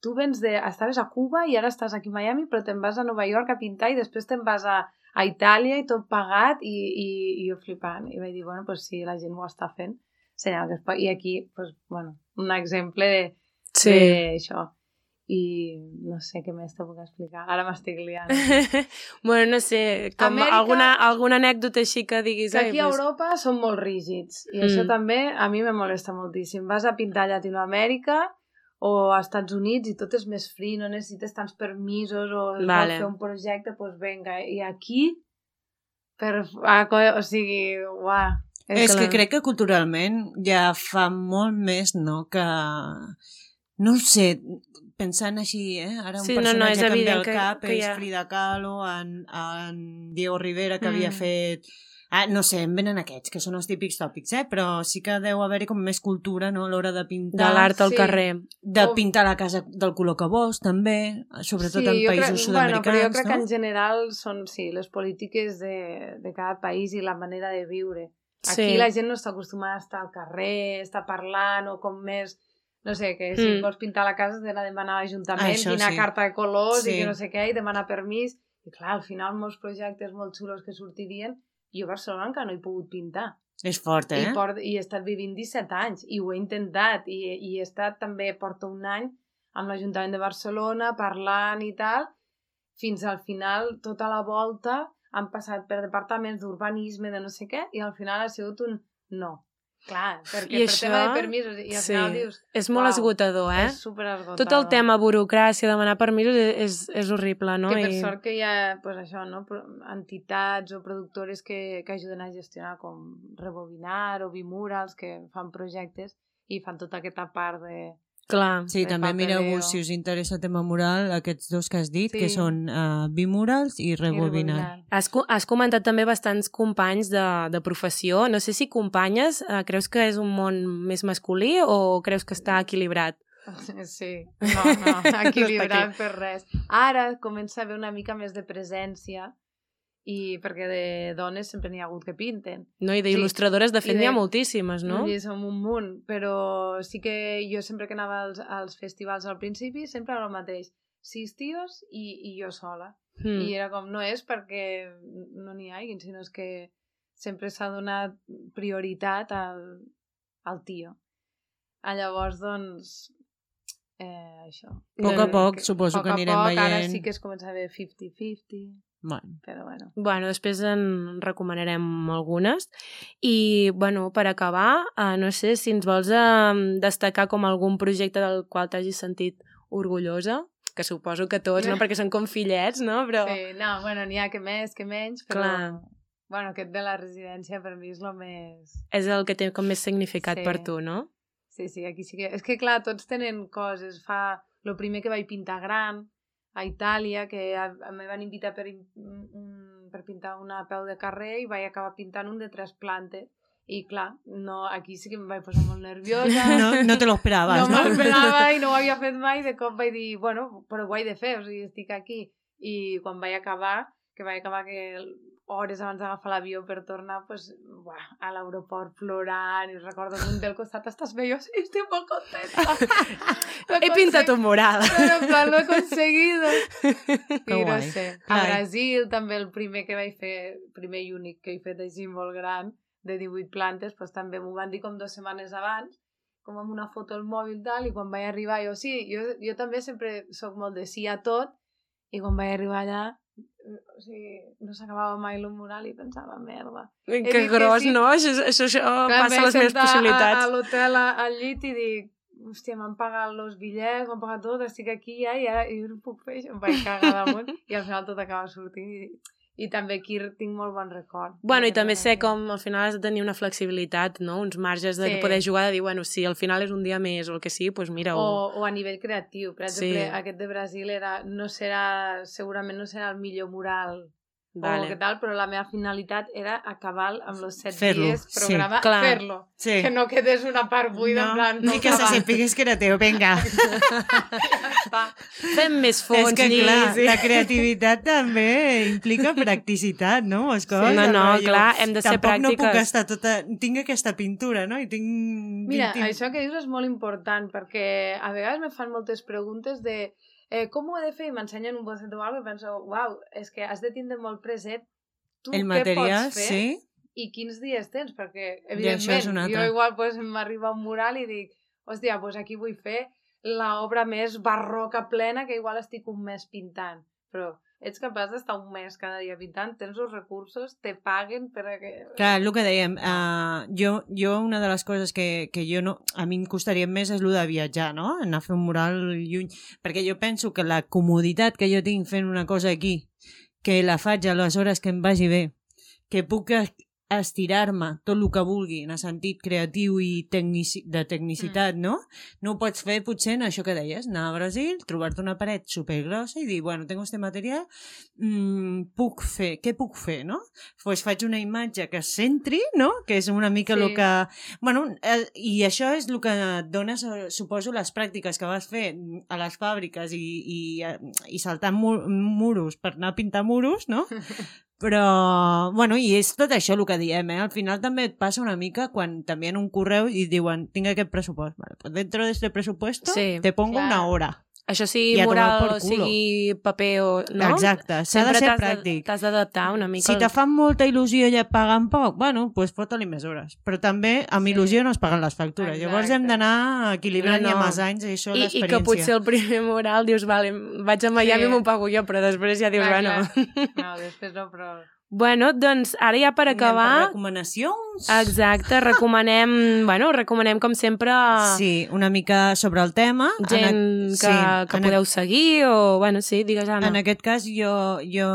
tu vens de... Estaves a Cuba i ara estàs aquí a Miami, però te'n vas a Nova York a pintar i després te'n vas a, a Itàlia i tot pagat i, i, i jo flipant. I vaig dir, bueno, pues sí, la gent ho està fent. Senyal que es pot... I aquí, pues, bueno, un exemple de, Sí. d'això. i no sé què més te puc explicar. Ara m'estic liant. Bueno, no sé, com Amèrica- alguna, alguna anècdota així que diguis... Que aquí "Ai, a pues, Europa són molt rígids i Mm. això també a mi me molesta moltíssim. Vas a pintar a Llatinoamèrica o a Estats Units i tot és més free, no necessites tants permisos o es Vale. vol fer un projecte, doncs pues venga. I aquí, per, a, o sigui, uah, És clar. que crec que culturalment ja fa molt més, no?, que... No ho sé, pensant així, eh? Ara un Sí, no, no, personatge és que em ve evident al que- cap que és hi ha- Frida Kahlo, en, en Diego Rivera, que havia Mm. fet... Ah, no sé, em venen aquests, que són els típics tòpics, eh? Però sí que deu haver-hi com més cultura, no?, a l'hora de de pintar. l'art al Sí. carrer. De O- pintar la casa del color que vols, també, sobretot sí, en jo països crec, sud-americans, bueno, però jo crec no? que en general són, sí, les polítiques de, de cada país i la manera de viure. Aquí Sí. la gent no està acostumada a estar al carrer, estar parlant o com més... No sé, que si Mm. vols pintar la casa has d'anar a demanar a l'Ajuntament Això quina sí. carta de colors Sí. i que no sé què, i demanar permís. I clar, al final molts projectes molt xulos que sortirien, jo a Barcelona encara no he pogut pintar. És fort, eh? I, port, I he estat vivint disset anys i ho he intentat i, i he estat també, porto un any amb l'Ajuntament de Barcelona parlant i tal, fins al final tota la volta han passat per departaments d'urbanisme de no sé què i al final ha sigut un no. Clar, perquè I per això- tema de permisos i al sí. final dius... És molt uau, esgotador, eh? És superesgotador. Tot el tema burocràcia, demanar permisos, és, és horrible, no? Que per I... sort que hi ha pues, això, no? Pro- entitats o productores que, que ajuden a gestionar com Rebobinar o Bimurals que fan projectes i fan tota aquesta part de... Clar. Sí, de també papeleo. mireu-vos, si us interessa el tema mural, aquests dos que has dit, Sí. que són uh, Bimurals i i Rebobinar. Has, co- has comentat també bastants companys de, de professió. No sé si companyes, eh, creus que és un món més masculí o creus que està equilibrat? Sí, no, no, equilibrat aquí. per res. Ara comença a haver una mica més de presència i perquè de dones sempre n'hi ha hagut que pinten. No? I Sí. d'il·lustradores, de fet, I n'hi ha de- moltíssimes, no? I som un munt, però sí que jo sempre que anava als, als festivals al principi sempre era el mateix. Sis tios i, i jo sola. Mm. I era com, no és perquè no n'hi hagi, sinó és que sempre s'ha donat prioritat al, al tio. A llavors, doncs, eh, això. A poc a Mm. poc, suposo poc que a anirem poc, veient. Ara sí que es comença a ver cinquanta-cinquanta, Bueno. però bueno. Bueno, després en recomanarem algunes. I, bueno, per acabar, eh, no sé si ens vols eh, destacar com algun projecte del qual t'hagis sentit orgullosa, que suposo que tots, no? Perquè són com fillets, no? Però... Sí, no, bueno, n'hi ha que més, que menys, però... Clar. Bueno, aquest de la residència per mi és el més... És el que té com més significat Sí. per tu, no? Sí, sí, aquí sí que... És que, clar, tots tenen coses. Fa... Lo primer que vaig pintar gran, a Itàlia, que a, a me van invitar per, un, per pintar una peu de carrer i vaig acabar pintant un de tres plantes. I, clar, no, aquí sí que em vaig posar molt nerviosa. No, no te lo esperaves, no no? m'ho esperava i no ho havia fet mai. De cop vaig dir, bueno, però ho he de fer, o sigui, estic aquí. I quan vaig acabar, que vaig acabar que hores abans d'agafar l'avió per tornar, pues, buah, a l'aeroport plorant, i recordo que un del costat estàs bé, jo sí, estic molt contenta. He pintat un mural. Però en plan, lo he conseguido. Que I no guai. sé. A Clar. Brasil també el primer que vaig fer, primer i únic que he fet així molt gran, de divuit plantes, pues, també m'ho van dir com dues setmanes abans, com amb una foto al mòbil tal, i quan vaig arribar jo sí, jo, jo també sempre sóc molt de sí a tot, i quan vaig arribar allà o sigui, no s'acabava mai el mural i pensava, merda. Que dit que gros, sí. no? Això, això, això Clar, passa a les meves a, a possibilitats. l'hotel, a- al llit, i dic, hòstia, m'han pagat els bitllets, m'han pagat tot, estic aquí ja, i ara i jo no puc fer això. Em vaig cagar damunt, i al final tot acaba sortint. I, i també aquí tinc molt bon record. Bueno, i Perquè també no- sé com al final has de tenir una flexibilitat, no? Uns marges de Sí. poder jugar, de dir, bueno, si al final és un dia més o el que sigui, doncs mira... O, o a nivell creatiu. Per exemple, Sí. aquest de Brasil era, no serà, segurament no serà el millor mural Vale. o què tal, però la meva finalitat era acabar amb els set Fer-lo, dies, sí, programa, clar. fer-lo. Sí. Que no quedés una part buida, en plan... Ni que se sapigués que era teu, vinga. Fem més fons, És que, clar, llis, i- la creativitat també implica practicitat, no? És coses, No, no, rotllo, clar, hem de ser tampoc no puc pràctiques. estar tota... Tinc aquesta pintura, no? I tinc... Mira, vint- això que dius és molt important, perquè a vegades me fan moltes preguntes de eh, com ho he de fer? I m'ensenyen un bocet o alguna cosa i penso, uau, és que has de tindre molt present tu El què material, pots fer sí. i quins dies tens, perquè, això és evidentment, un altre. jo igual pues, m'arriba un mural i dic, hòstia, pues aquí vull fer l'obra més barroca plena que igual estic un mes pintant. Però ets capaç d'estar un mes cada dia pintant, tens els recursos, te paguen per a que... Clar, el que dèiem, uh, jo, jo una de les coses que, que jo no, a mi em costaria més és el de viatjar, no? Anar a fer un mural lluny, perquè jo penso que la comoditat que jo tinc fent una cosa aquí, que la faig a les hores que em vagi bé, que puc estirar-me tot el que vulgui en el sentit creatiu i tecnici de tecnicitat, mm. no? No ho pots fer potser en això que deies, anar a Brasil, trobar-te una paret supergrossa i dir, bueno, tengo este material, mm, puc fer, què puc fer, no? Pues faig una imatge que es centri, no? Que és una mica el sí. que... Bueno, eh, i això és el que et dona, suposo, les pràctiques que vas fer a les fàbriques i, i, i saltant mur muros per anar a pintar muros, no? Però, bueno, i és tot això el que diem, eh? Al final també et passa una mica quan t'envien un correu i diuen, tinc aquest pressupost. Vale, pues dentro de este presupuesto sí, te pongo clar. una hora. Això sigui mural o sigui paper o... No? Exacte, s'ha de ser pràctic. T'has d'adaptar una mica. Si te fan molta il·lusió i et paguen poc, bueno, doncs pues fota-li més hores. Però també amb sí. il·lusió no es paguen les factures. Exacte. Llavors hem d'anar equilibrant no, no. i amb els anys i això l'experiència. I que potser el primer mural dius, vale, vaig a Miami i sí. m'ho pago jo, però després ja dius, clar, bueno... Clar. No, després no, però... Bueno, doncs ara ja per acabar... Per recomanacions. Exacte, recomanem, bueno, recomanem com sempre... Sí, una mica sobre el tema. Gent en... que, sí, que podeu a... seguir o, bueno, sí, digues, Anna. En aquest cas, jo, jo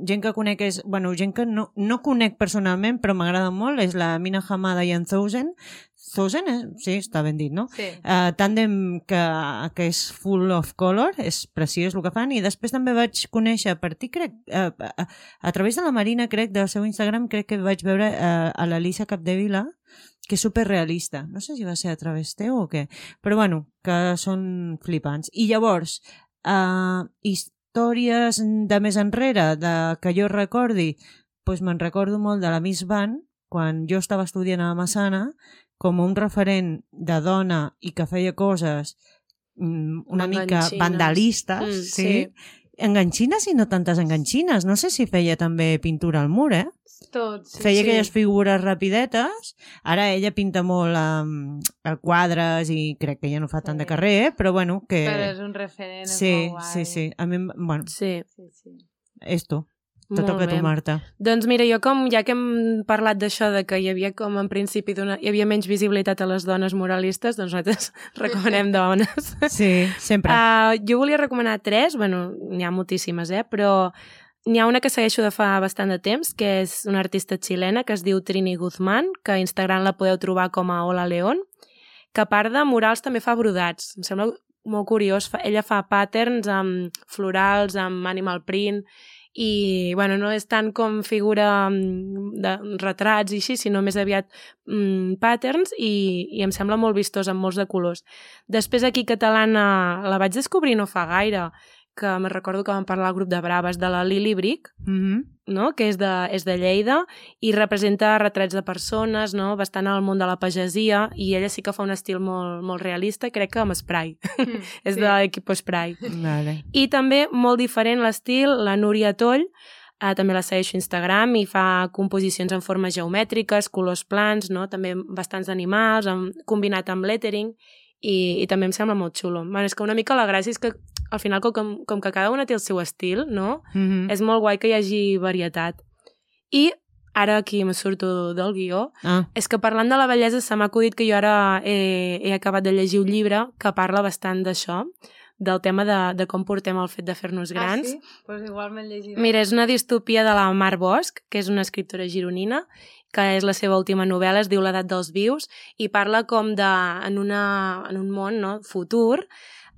gent que conec és... Bueno, gent que no, no conec personalment, però m'agrada molt, és la Mina Hamada i en Thousand. Thousand, eh? Sí, està ben dit, no? Sí. Uh, tàndem que, que és full of color, és preciós el que fan, i després també vaig conèixer per ti, crec, uh, a, a través de la Marina, crec, del seu Instagram, crec que vaig veure uh, a l'Elisa Capdevila, que és superrealista. No sé si va ser a través teu o què, però bueno, que són flipants. I llavors, uh, històries de més enrere, de que jo recordi, doncs me'n recordo molt de la Miss Van, quan jo estava estudiant a la Massana, com un referent de dona i que feia coses una mica vandalistes, mm, sí. sí. Enganxines i no tantes enganxines. No sé si feia també pintura al mur, eh? Tot, sí, feia sí. aquelles figures rapidetes. Ara ella pinta molt um, quadres i crec que ja no fa tant sí. de carrer, eh? Però bueno, que... Però és un referent, sí, és molt guai. Sí, sí, a mi, bueno, sí. Sí, sí. És tu. Te toca a tu, Marta. Doncs mira, jo com, ja que hem parlat d'això, de que hi havia com en principi hi havia menys visibilitat a les dones muralistes, doncs nosaltres recomanem dones. Sí, sempre. Uh, jo volia recomanar tres, bueno, n'hi ha moltíssimes, eh? Però n'hi ha una que segueixo de fa bastant de temps, que és una artista xilena que es diu Trini Guzmán, que a Instagram la podeu trobar com a Hola León, que a part de murals també fa brodats. Em sembla molt curiós. Ella fa patterns amb florals, amb animal print, i bueno, no és tant com figura de retrats i així, sinó més aviat mm, patterns i, i em sembla molt vistós, amb molts de colors. Després aquí catalana la vaig descobrir no fa gaire, que me recordo que vam parlar al grup de Braves de la Lili Bric, mm-hmm. no? Que és de, és de Lleida i representa retrats de persones, no? Bastant al món de la pagesia, i ella sí que fa un estil molt, molt realista, crec que amb spray. Mm, és sí. de l'equip spray. Vale. I també molt diferent l'estil, la Núria Toll, eh, també la segueixo a Instagram i fa composicions en formes geomètriques, colors plans, no? També bastants animals, amb, combinat amb lettering, i, i també em sembla molt xulo. Bueno, és que una mica la gràcia és que al final com, com que cada una té el seu estil, no? Mm-hmm. És molt guai que hi hagi varietat. I ara aquí me surto del guió, ah. és que parlant de la bellesa se m'ha acudit que jo ara he, he acabat de llegir un llibre que parla bastant d'això, del tema de, de com portem el fet de fer-nos grans. Ah, sí? Doncs pues igual m'he llegit. Mira, és una distopia de la Mar Bosch, que és una escriptora gironina, que és la seva última novel·la, es diu L'edat dels vius, i parla com de, en, una, en un món, no, futur,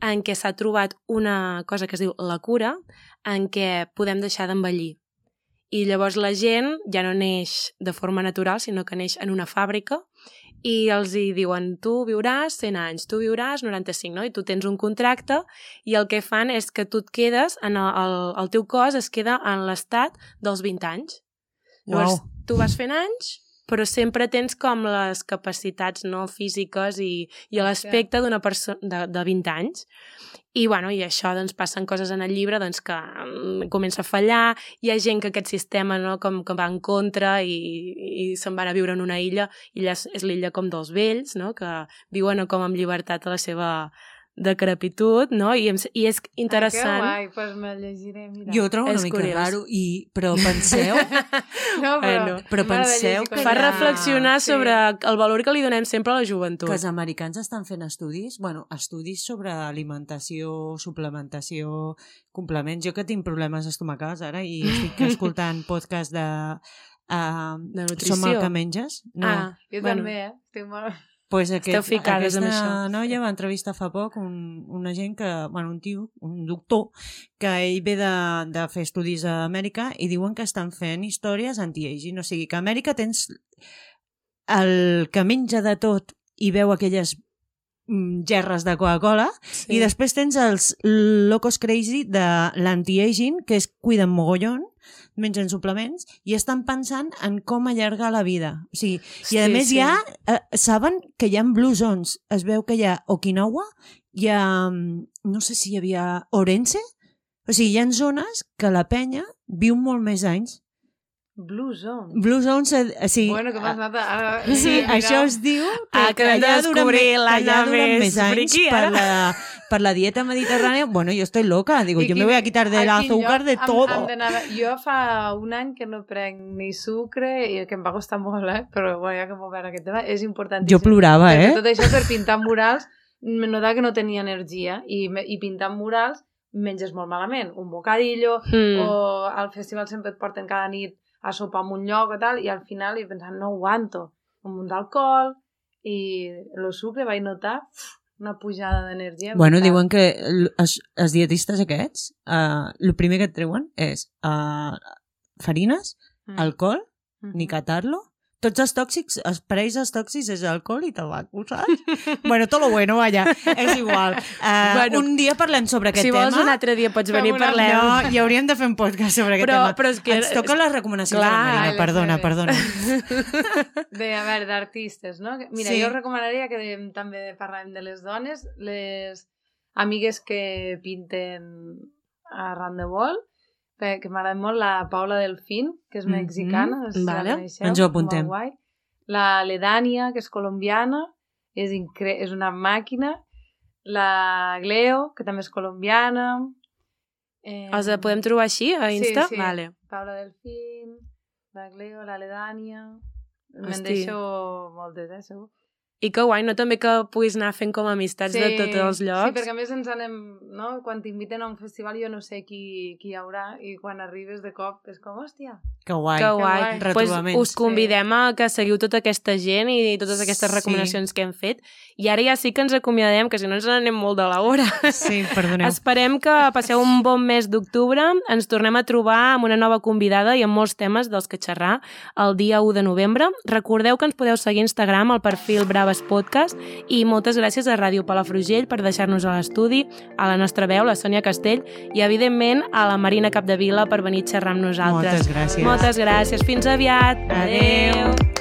en què s'ha trobat una cosa que es diu la cura, en què podem deixar d'envellir. I llavors la gent ja no neix de forma natural, sinó que neix en una fàbrica, i els hi diuen, tu viuràs cent anys, tu viuràs noranta-cinc, no? I tu tens un contracte, i el que fan és que tu et quedes, en el, el, el teu cos es queda en l'estat dels vint anys. Llavors, wow. Tu vas fent anys, però sempre tens com les capacitats no físiques i, i l'aspecte d'una persona de, de vint anys. I, bueno, i això, doncs, passen coses en el llibre doncs, que um, comença a fallar, hi ha gent que aquest sistema no, com que va en contra i, i se'n van a viure en una illa, i allà és l'illa com dels vells, no, que viuen com amb llibertat a la seva decrepitud, no? I, em, i és interessant. Ai, que guai, doncs pues me llegiré, mira. Jo ho trobo una És mica curiós. raro, i, però penseu... No, però, Bueno, però penseu que Fa hi ha- reflexionar sí. sobre el valor que li donem sempre a la joventut. que els americans estan fent estudis, bueno, estudis sobre alimentació, suplementació, complements. Jo que tinc problemes estomacals ara i estic escoltant podcast de... Uh, De nutrició. Som el que menges? No. Ah, Jo bueno. també, eh? Estic molt... Pues aquest, Esteu ficades amb aquesta això. noia va entrevistar fa poc un, una gent que, bueno, un tio, un doctor, que ell ve de, de fer estudis a Amèrica i diuen que estan fent històries anti-aging. O sigui, que a Amèrica tens el que menja de tot i veu aquelles mm, gerres de Coca-Cola, Sí. i després tens els locos crazy de l'anti-aging, que es cuiden mogollon, mengen suplements i estan pensant en com allargar la vida. O sigui, i a Sí, més sí. hi ha, eh, saben que hi ha blue zones. Es veu que hi ha Okinawa, hi ha, mm, no sé si hi havia Orense, o sigui, hi ha zones que la penya viu molt més anys. Blue Zone. Blue zones, eh, sí, Bueno, que m'has anat a... Ara... sí, Mira. això es diu que, Ah, acabem de allà duren descobrir me- l'Anna que allà duren més més anys friqui, per ara. la, per la dieta mediterrània. Bueno, yo estoy loca, digo, I yo me quin- voy a quitar del a quin azúcar lloc de hem- todo. hem d'anar a- Jo fa un any que no prenc ni sucre i que em va costar molt, eh? Però bueno, ja que hem obert aquest tema, és importantíssim. Jo plorava, Perquè eh? tot això per pintar murals me notava que no tenia energia i, me- i pintant murals menges molt malament. Un bocadillo Mm. o al festival sempre et porten cada nit a sopar en un lloc o tal, i al final he pensat, no aguanto. Un munt d'alcohol i el sucre vaig notar uf, una pujada d'energia. Bueno, brutal. diuen que l- els, els dietistes aquests, uh, el primer que et treuen és uh, farines, Mm. alcohol, Mhm. ni catar-lo. Tots els tòxics, els parells dels tòxics és alcohol i tabaco, saps? bueno, tot lo bueno, vaya, és igual. Uh, Bueno, un dia parlem sobre aquest Si tema. vols un altre dia pots Fem venir i una- parlem. No, i hauríem de fer un podcast sobre aquest Però- tema. però és que- Ens toquen les recomanacions Clar, de la Marina, les perdona, meves. perdona. De, a veure, d'artistes, no? Mira, Sí. jo recomanaria que de, també parlàvem de les dones, les amigues que pinten arran de vol, que, que m'agrada molt la Paula Delfín, que és Mhm. mexicana, no sé si Vale. la coneixeu. Ens ho apuntem. molt guai. La Ledania, que és colombiana, és, incre... és una màquina. La Gleo, que també és colombiana. Eh... Els podem trobar així, a Insta? Sí, sí. Vale. Paula Delfín, la Gleo, la Ledania... Me'n Hosti. deixo moltes, eh, segur. I que guai, no? També que puguis anar fent com amistats de tots els llocs. Sí, perquè a més ens anem, no? Quan t'inviten a un festival jo no sé qui, qui hi haurà i quan arribes de cop és com, hòstia, Que guai. Que guai. guai. Pues Retrobaments. us convidem a que seguiu tota aquesta gent i totes aquestes Sí. recomanacions que hem fet. I ara ja sí que ens acomiadem, que si no ens n'anem molt de l'hora. Sí, perdoneu. Esperem que passeu un bon mes d'octubre. Ens tornem a trobar amb una nova convidada i amb molts temes dels que xerrar el dia u de novembre. Recordeu que ens podeu seguir a Instagram al perfil Braves Podcast i moltes gràcies a Ràdio Palafrugell per deixar-nos a l'estudi, a la nostra veu, la Sònia Castell, i evidentment a la Marina Capdevila per venir a xerrar amb nosaltres. Moltes gràcies. Moltes gràcies. Fins aviat. Adéu. Adéu.